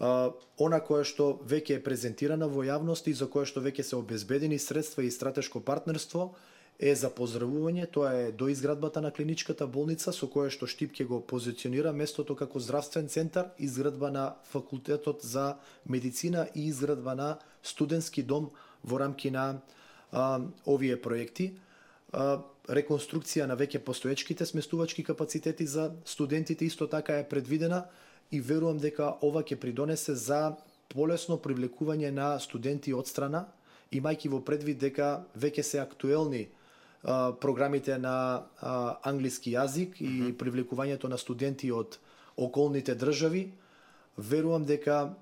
Она кое што веќе е презентирана во јавност и за кое што веќе се обезбедени средства и стратешко партнерство е за поздравување, тоа е доизградбата на клиничката болница со кое што Штип ќе го позиционира местото како здравствен центар, изградба на факултетот за медицина и изградба на студентски дом во рамки на овие проекти. Реконструкција на веќе постоечките сместувачки капацитети за студентите исто така е предвидена и верувам дека ова ќе придонесе за полесно привлекување на студенти од страна, имајќи во предвид дека веќе се актуелни програмите на англиски јазик и привлекувањето на студенти од околните држави. Верувам дека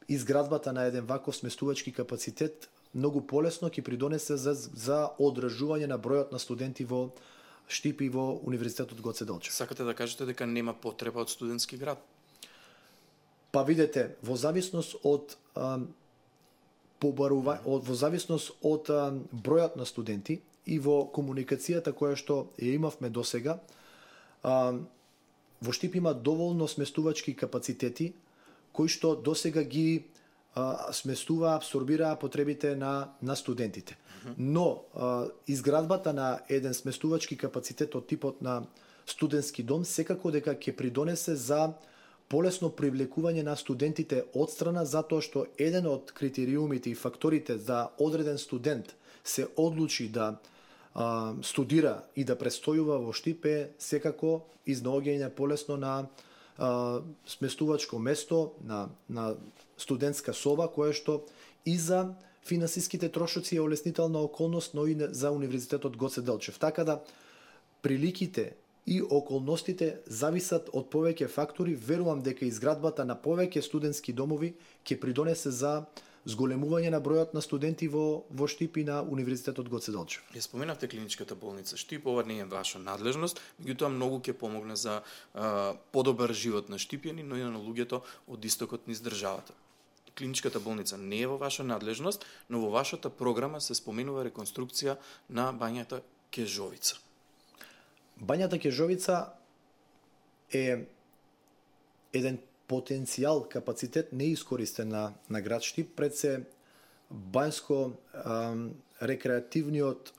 изградбата на еден ваков сместувачки капацитет многу полесно ќе придонесе за одржување на бројот на студенти во Штип и во Универзитетот Гоце Делчев. Сакате да кажете дека нема потреба од студентски град? Па видете, во зависност од бројот на студенти и во комуникацијата која што ја имавме досега, во Штип има доволно сместувачки капацитети кои што досега ги сместува, абсорбираа потребите на студентите. Но изградбата на еден сместувачки капацитет од типот на студентски дом секако дека ќе придонесе за полесно привлекување на студентите од страна, затоа што еден од критериумите и факторите за одреден студент се одлучи да студира и да престојува во Штип е секако изнаоѓање полесно на сместувачко место, на студентска соба, кое што и за финансиските трошоци е олеснителна околност, но и за Универзитетот Гоце Делчев. Така да приликите и околностите зависат од повеќе фактори. Верувам дека изградбата на повеќе студентски домови ќе придонесе за зголемување на бројот на студенти во Штип и на Универзитетот Гоце Делчев. Ја споменавте клиничката болница Штип, ова не е ваша надлежност, меѓутоа многу ќе помогне за подобар живот на штипјани, но и на луѓето од истокот низ државата. Клиничката болница не е во ваша надлежност, но во вашата програма се споменува реконструкција на бањата Кежовица. Бањата Кежовица е еден потенцијал, капацитет неискористен на град Штип, пред се бањско рекреативниот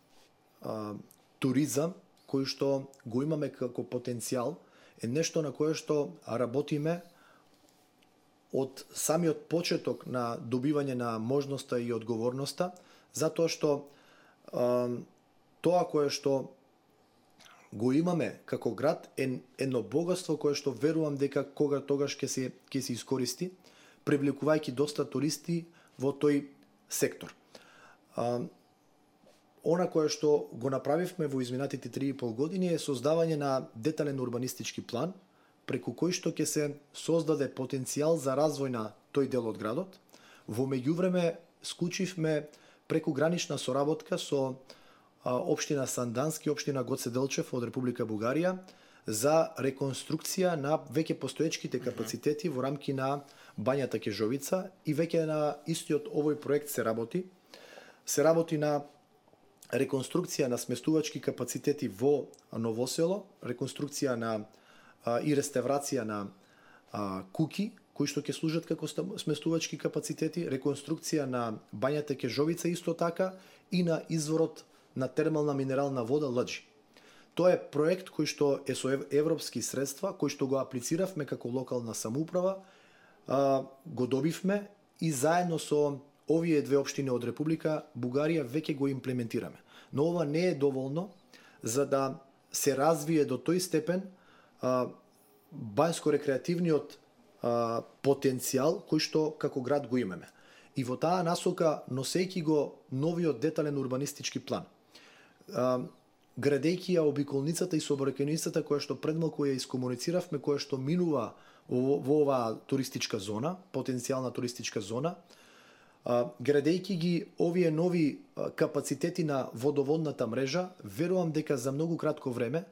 туризам кој што го имаме како потенцијал е нешто на кое што работиме од самиот почеток на добивање на можноста и одговорноста, затоа што тоа кое што го имаме како град е едно богатство кое што верувам дека тогаш ќе се искористи, привлекувајќи доста туристи во тој сектор. Она кое што го направивме во изминатите 3,5 години е создавање на детален урбанистички план, преку кој што ќе се создаде потенцијал за развој на тој дел од градот. Во меѓувреме склучивме прекугранична соработка со општина Сандански, општина Гоце Делчев од Република Бугарија за реконструкција на веќе постоечките капацитети во рамки на бањата Кежовица и веќе на истиот овој проект се работи. Се работи на реконструкција на сместувачки капацитети во Новосело, реконструкција на и реставрација на куќи кои што ќе служат како сместувачки капацитети, реконструкција на бањата Кежовица исто така и на изворот на термална минерална вода Лаџи. Тоа е проект кој што е со европски средства, кој што го аплициравме како локална самоуправа, го добивме и заедно со овие две општини од Република Бугарија веќе го имплементираме. Но ова не е доволно за да се развие до тој степен бањско-рекреативниот потенцијал кој што како град го имаме. И во таа насока, носејќи го новиот детален урбанистички план, градејќи ја обиколницата и сообраќајницата која што предмалку ја искомунициравме, која што минува во оваа туристичка зона, потенцијална туристичка зона, градејќи ги овие нови капацитети на водоводната мрежа, верувам дека за многу кратко време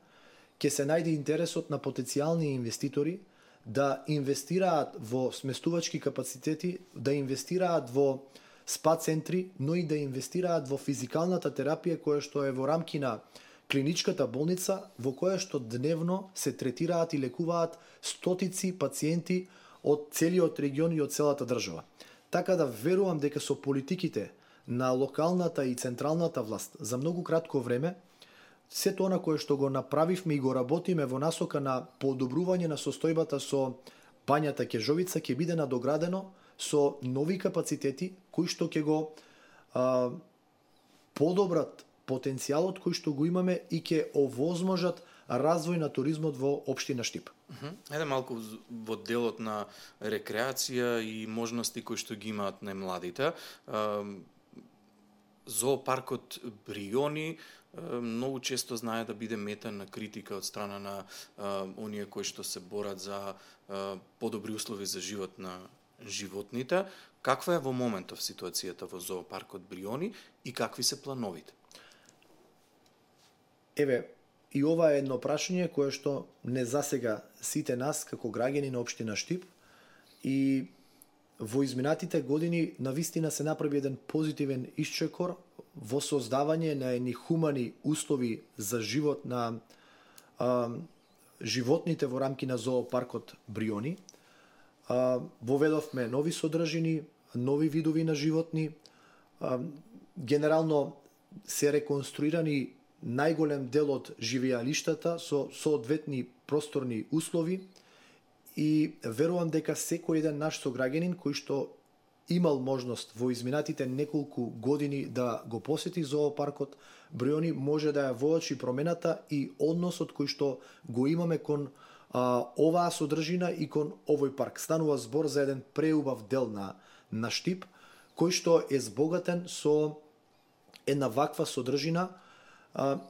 ќе се најде интересот на потенцијални инвеститори да инвестираат во сместувачки капацитети, да инвестираат во спа центри, но и да инвестираат во физикалната терапија која што е во рамки на клиничката болница, во која што дневно се третираат и лекуваат стотици пациенти од целиот регион и од целата држава. Така да верувам дека со политиките на локалната и централната власт за многу кратко време сето она кое што го направивме и го работиме во насока на подобрување на состојбата со бањата Кежовица ќе биде надоградено со нови капацитети кои што ќе го подобрат потенцијалот кој што го имаме и ќе овозможат развој на туризмот во општина Штип. Еде малку во делот на рекреација и можности кои што ги имаат најмладите. Зоопаркот Бриони многу често знае да биде мета на критика од страна на оние кои што се борат за подобри услови за живот на животните. Каква е во моментов ситуацијата во зоопаркот Бриони и какви се плановите? Еве, и ова е едно прашање кое што не засега сите нас како граѓани на општина Штип и во изминатите години навистина се направи еден позитивен исчекор во создавање на едни хумани услови за живот на животните во рамки на зоопаркот Бриони. Воведовме нови содржини, нови видови на животни. Генерално се реконструирани најголем дел од живеалиштата со соодветни просторни услови и верувам дека секој еден наш сограѓанин кој што имал можност во изминатите неколку години да го посети зоопаркот Бриони може да ја воочи промената и односот кој што го имаме кон оваа содржина и кон овој парк. Станува збор за еден преубав дел на Штип кој што е збогатен со една ваква содржина,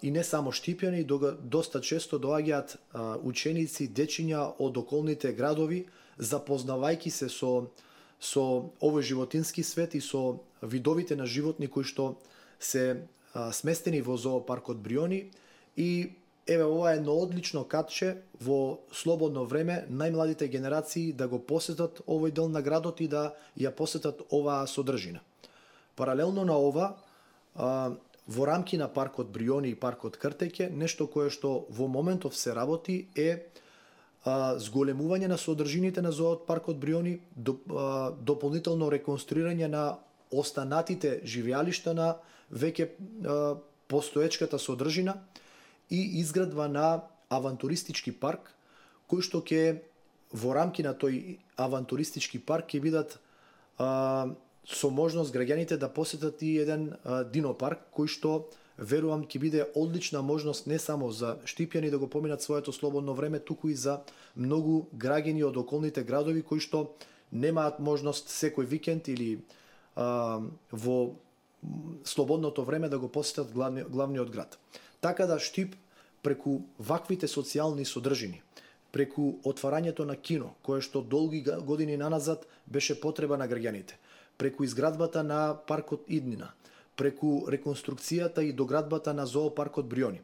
и не само Штипјани, доста често доаѓаат ученици, дечиња од околните градови, запознавајќи се со овој животински свет и со видовите на животни кои што се сместени во зоопаркот Бриони. И еве, ова е едно одлично катче во слободно време најмладите генерации да го посетат овој дел на градот и да ја посетат оваа содржина. Паралелно на ова, во рамки на паркот Бриони и паркот Кртеќе, нешто кое што во моментов се работи е зголемување на содржините на зоопаркот Бриони, дополнително реконструирање на останатите живеалишта на веќе постоечката содржина и изградба на авантуристички парк, кој што ќе во рамки на тој авантуристички парк ќе бидат со можност граѓаните да посетат и еден динопарк, кој што верувам ќе биде одлична можност не само за Штипјани да го поминат своето слободно време, туку и за многу граѓани од околните градови кои што немаат можност секој викенд или во слободното време да го посетат главниот град. Така да Штип преку ваквите социјални содржини, преку отварањето на кино, кое што долги години наназад беше потреба на граѓаните, преку изградбата на паркот Иднина, преку реконструкцијата и доградбата на зоопаркот Бриони,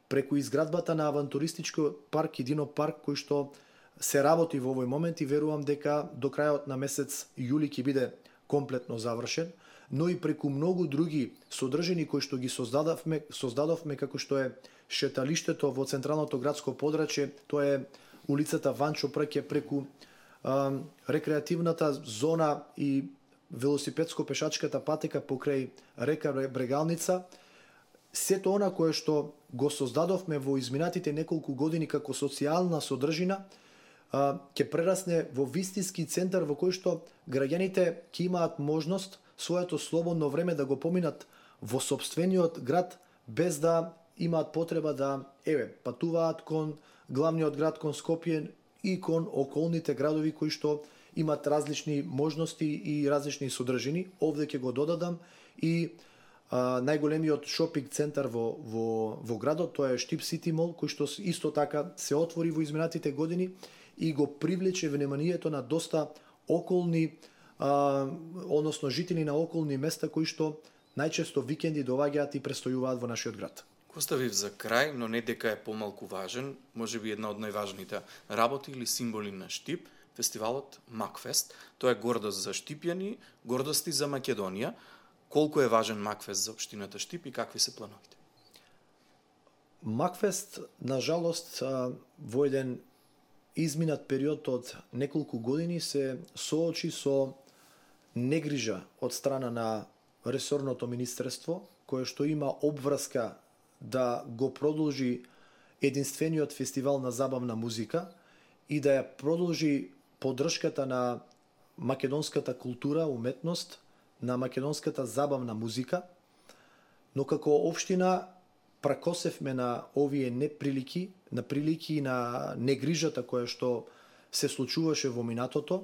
преку изградбата на авантуристичкиот парк и динопарк кој што се работи во овој момент и верувам дека до крајот на месец јули ќе биде комплетно завршен, но и преку многу други содржини кои што ги создадовме како што е шеталиштето во централното градско подрачје, тоа е улицата Ванчо Прке, преку рекреативната зона и велосипедско-пешачката патека покрај река Брегалница. Сето она кое што го создадовме во изминатите неколку години како социјална содржина ќе прерасне во вистински центар во кој што граѓаните ќе имаат можност своето слободно време да го поминат во сопствениот град без да имаат потреба да патуваат кон главниот град, кон Скопје и кон околните градови кои што имат различни можности и различни содржини. Овде ќе го додадам и најголемиот шопинг центар во градот, тоа е Штип Сити Мол, кој што исто така се отвори во изминатите години и го привлече вниманието на доста околни, односно жители на околни места кои што најчесто викенди доаѓаат и престојуваат во нашиот град. Го оставив за крај, но не дека е помалку важен, можеби една од најважните работи или символи на Штип, фестивалот Макфест. Тоа е гордост за Штипјани, гордост и за Македонија. Колку е важен Макфест за општината Штип и какви се плановите? Макфест, на жалост, во еден изминат период од неколку години се соочи со негрижа од страна на ресорното министерство, кое што има обврска да го продолжи единствениот фестивал на забавна музика и да ја продолжи поддршката на македонската култура, уметност, на македонската забавна музика, но како општина пракосевме на овие неприлики, на прилики и на негрижата која што се случуваше во минатото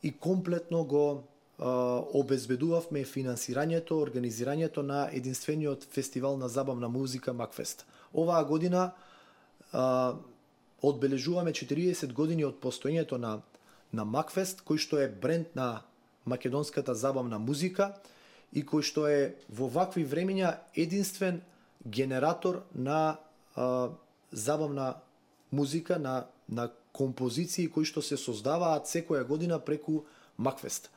и комплетно го обезбедувавме финансирањето, организирањето на единствениот фестивал на забавна музика Макфест. Оваа година одбележуваме 40 години од постоењето на Макфест, кој што е бренд на македонската забавна музика и кој што е во вакви времиња единствен генератор на забавна музика, на композиции кои што се создаваат секоја година преку Макфест.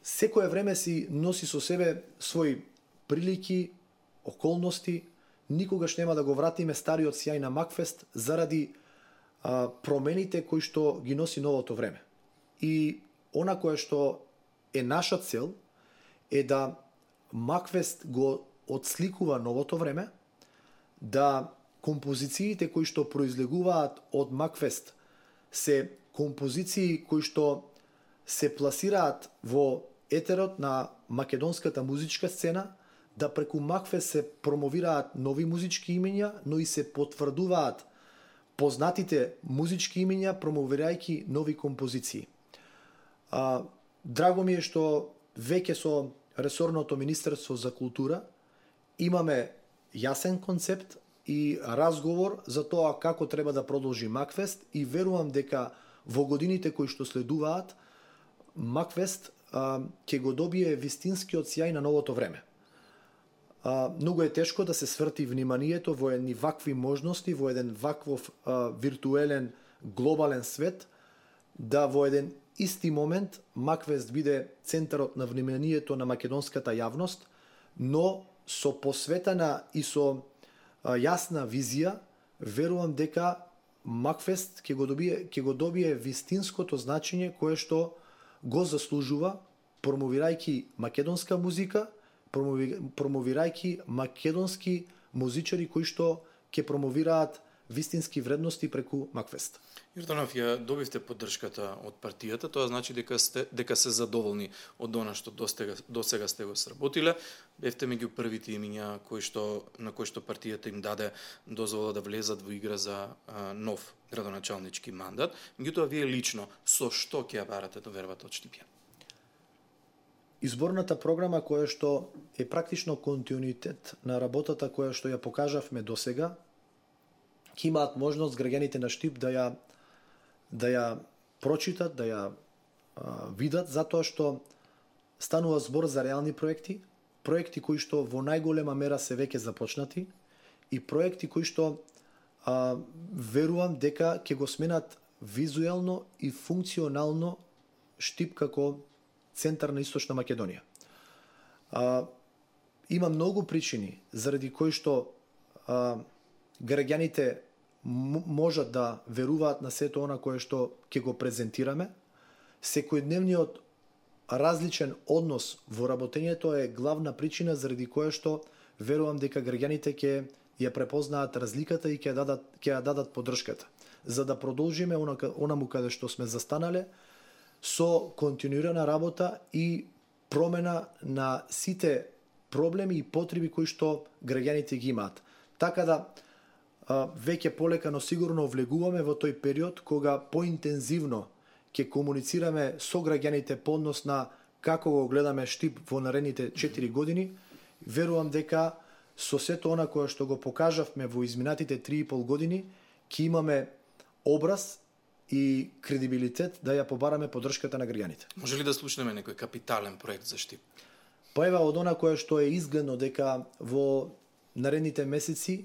Секое време си носи со себе своји прилики, околности, никогаш нема да го вратиме стариот сјај на Макфест заради промените кои што ги носи новото време. И она кое што е наша цел е да Макфест го отсликува новото време, да композициите кои што произлегуваат од Макфест се композиции кои што се пласираат во етерот на македонската музичка сцена, да преку Макфест се промовираат нови музички имиња, но и се потврдуваат познатите музички имиња, промовирајќи нови композиции. Драго ми е што веќе со ресорното Министерство за култура имаме јасен концепт и разговор за тоа како треба да продолжи Макфест и верувам дека во годините кои што следуваат Макфест ќе го добие вистинскиот сјај на новото време. Многу е тешко да се сврти вниманието во едни вакви можности, во еден ваквов виртуелен глобален свет, да во еден исти момент Макфест биде центарот на вниманието на македонската јавност, но со посветена и со јасна визија, верувам дека Макфест ќе го добие вистинското значење кое што го заслужува, промовирајќи македонска музика, промовирајќи македонски музичари кои што ќе промовираат вистински вредности преку Макфест. Јорданов, ја добивте поддршката од партијата, тоа значи дека се задоволни од она што досега сте го сработиле. Бевте меѓу првите имиња на кои што партијата им даде дозвола да влезат во игра за нов градоначалнички мандат. Меѓутоа, вие лично со што ќе ја барате довербата од Штипје? Изборната програма која што е практично континуитет на работата која што ја покажавме досега, ќе имаат можност граѓаните на Штип да ја прочитат, да ја видат, затоа што станува збор за реални проекти кои што во најголема мера се веќе започнати и проекти кои што верувам дека ќе го сменат визуелно и функционално Штип како центар на Источна Македонија. Има многу причини заради кои што граѓаните можат да веруваат на сето она кое што ќе го презентираме. Секојдневниот различен однос во работењето е главна причина заради која што верувам дека граѓаните ќе ја препознаат разликата и ќе ја дадат поддршката, за да продолжиме онаму каде што сме застанале со континуирана работа и промена на сите проблеми и потреби кои што граѓаните ги имаат. Така да веќе полека, но сигурно влегуваме во тој период кога поинтензивно ќе комуницираме со граѓаните по однос на како го гледаме Штип во наредните 4 години. Верувам дека со сето она кое што го покажавме во изминатите 3,5 години, ќе имаме образ и кредибилитет да ја побараме поддршката на граѓаните. Може ли да слушнеме некој капитален проект за Штип? Па ева од она кое што е изгледно дека во наредните месеци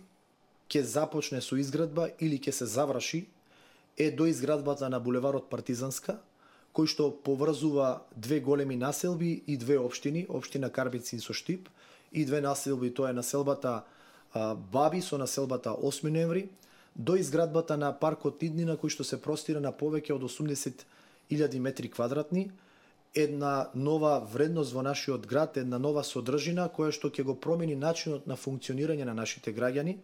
ќе започне со изградба или ќе се заврши, е доизградбата на булеварот Партизанска, кој што поврзува две големи населби и две општини, општина Карбици со Штип, и две населби, тоа е населбата Баби со населбата 8 ноември, до изградбата на паркот Иднина кој што се простира на повеќе од 80.000 метри квадратни, една нова вредност во нашиот град, една нова содржина која што ќе го промени начинот на функционирање на нашите граѓани,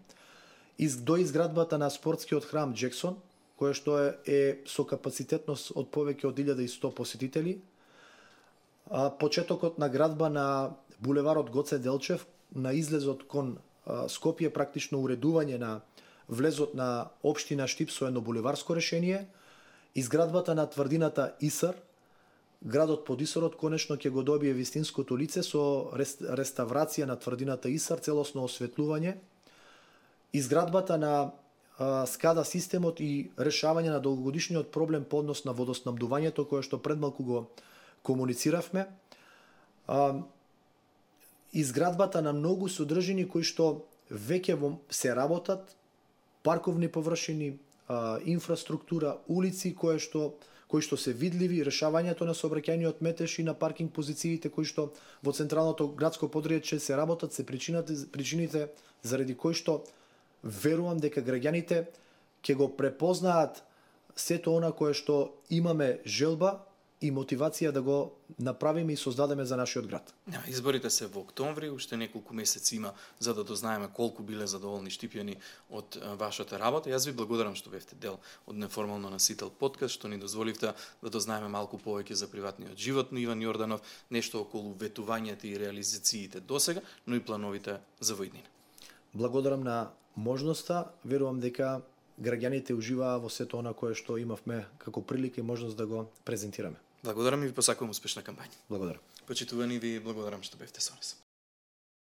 до изградбата на спортскиот храм Джексон, која што е со капацитетност од повеќе од 1100 посетители, почетокот на градба на булеварот Гоце Делчев, на излезот кон Скопје, практично уредување на влезот на општина Штип со едно булеварско решение, изградбата на тврдината Исар, градот под Исарот конечно ќе го добие вистинското лице со реставрација на тврдината Исар, целосно осветлување, изградбата на скада системот и решавање на долгогодишниот проблем по однос на водоснабдувањето, кое што предмалку го комунициравме, изградбата на многу содржини кои што веќе се работат, парковни површини, инфраструктура, улици кои што се видливи, решавањето на сообраќајниот метеж и на паркинг позициите кои што во централното градско подречје се работат, се причините заради кои што верувам дека граѓаните ќе го препознаат сето она кое што имаме желба и мотивација да го направиме и создадеме за нашиот град. Изборите се во октомври, уште неколку месеци има за да дознаеме колку биле задоволни штипјани од вашата работа. Јас ви благодарам што бевте дел од неформално насител подкаст, што ни дозволивте да дознаеме малку повеќе за приватниот живот на Иван Јорданов, нешто околу ветувањата и реализациите досега, но и плановите за во иднина. Благодарам на можноста, верувам дека граѓаните уживаа во сето она кое што имавме како прилика и можност да го презентираме. Благодарам и ви посакувам успешна кампања. Благодарам. Почитувани, ви благодарам што бевте со нас.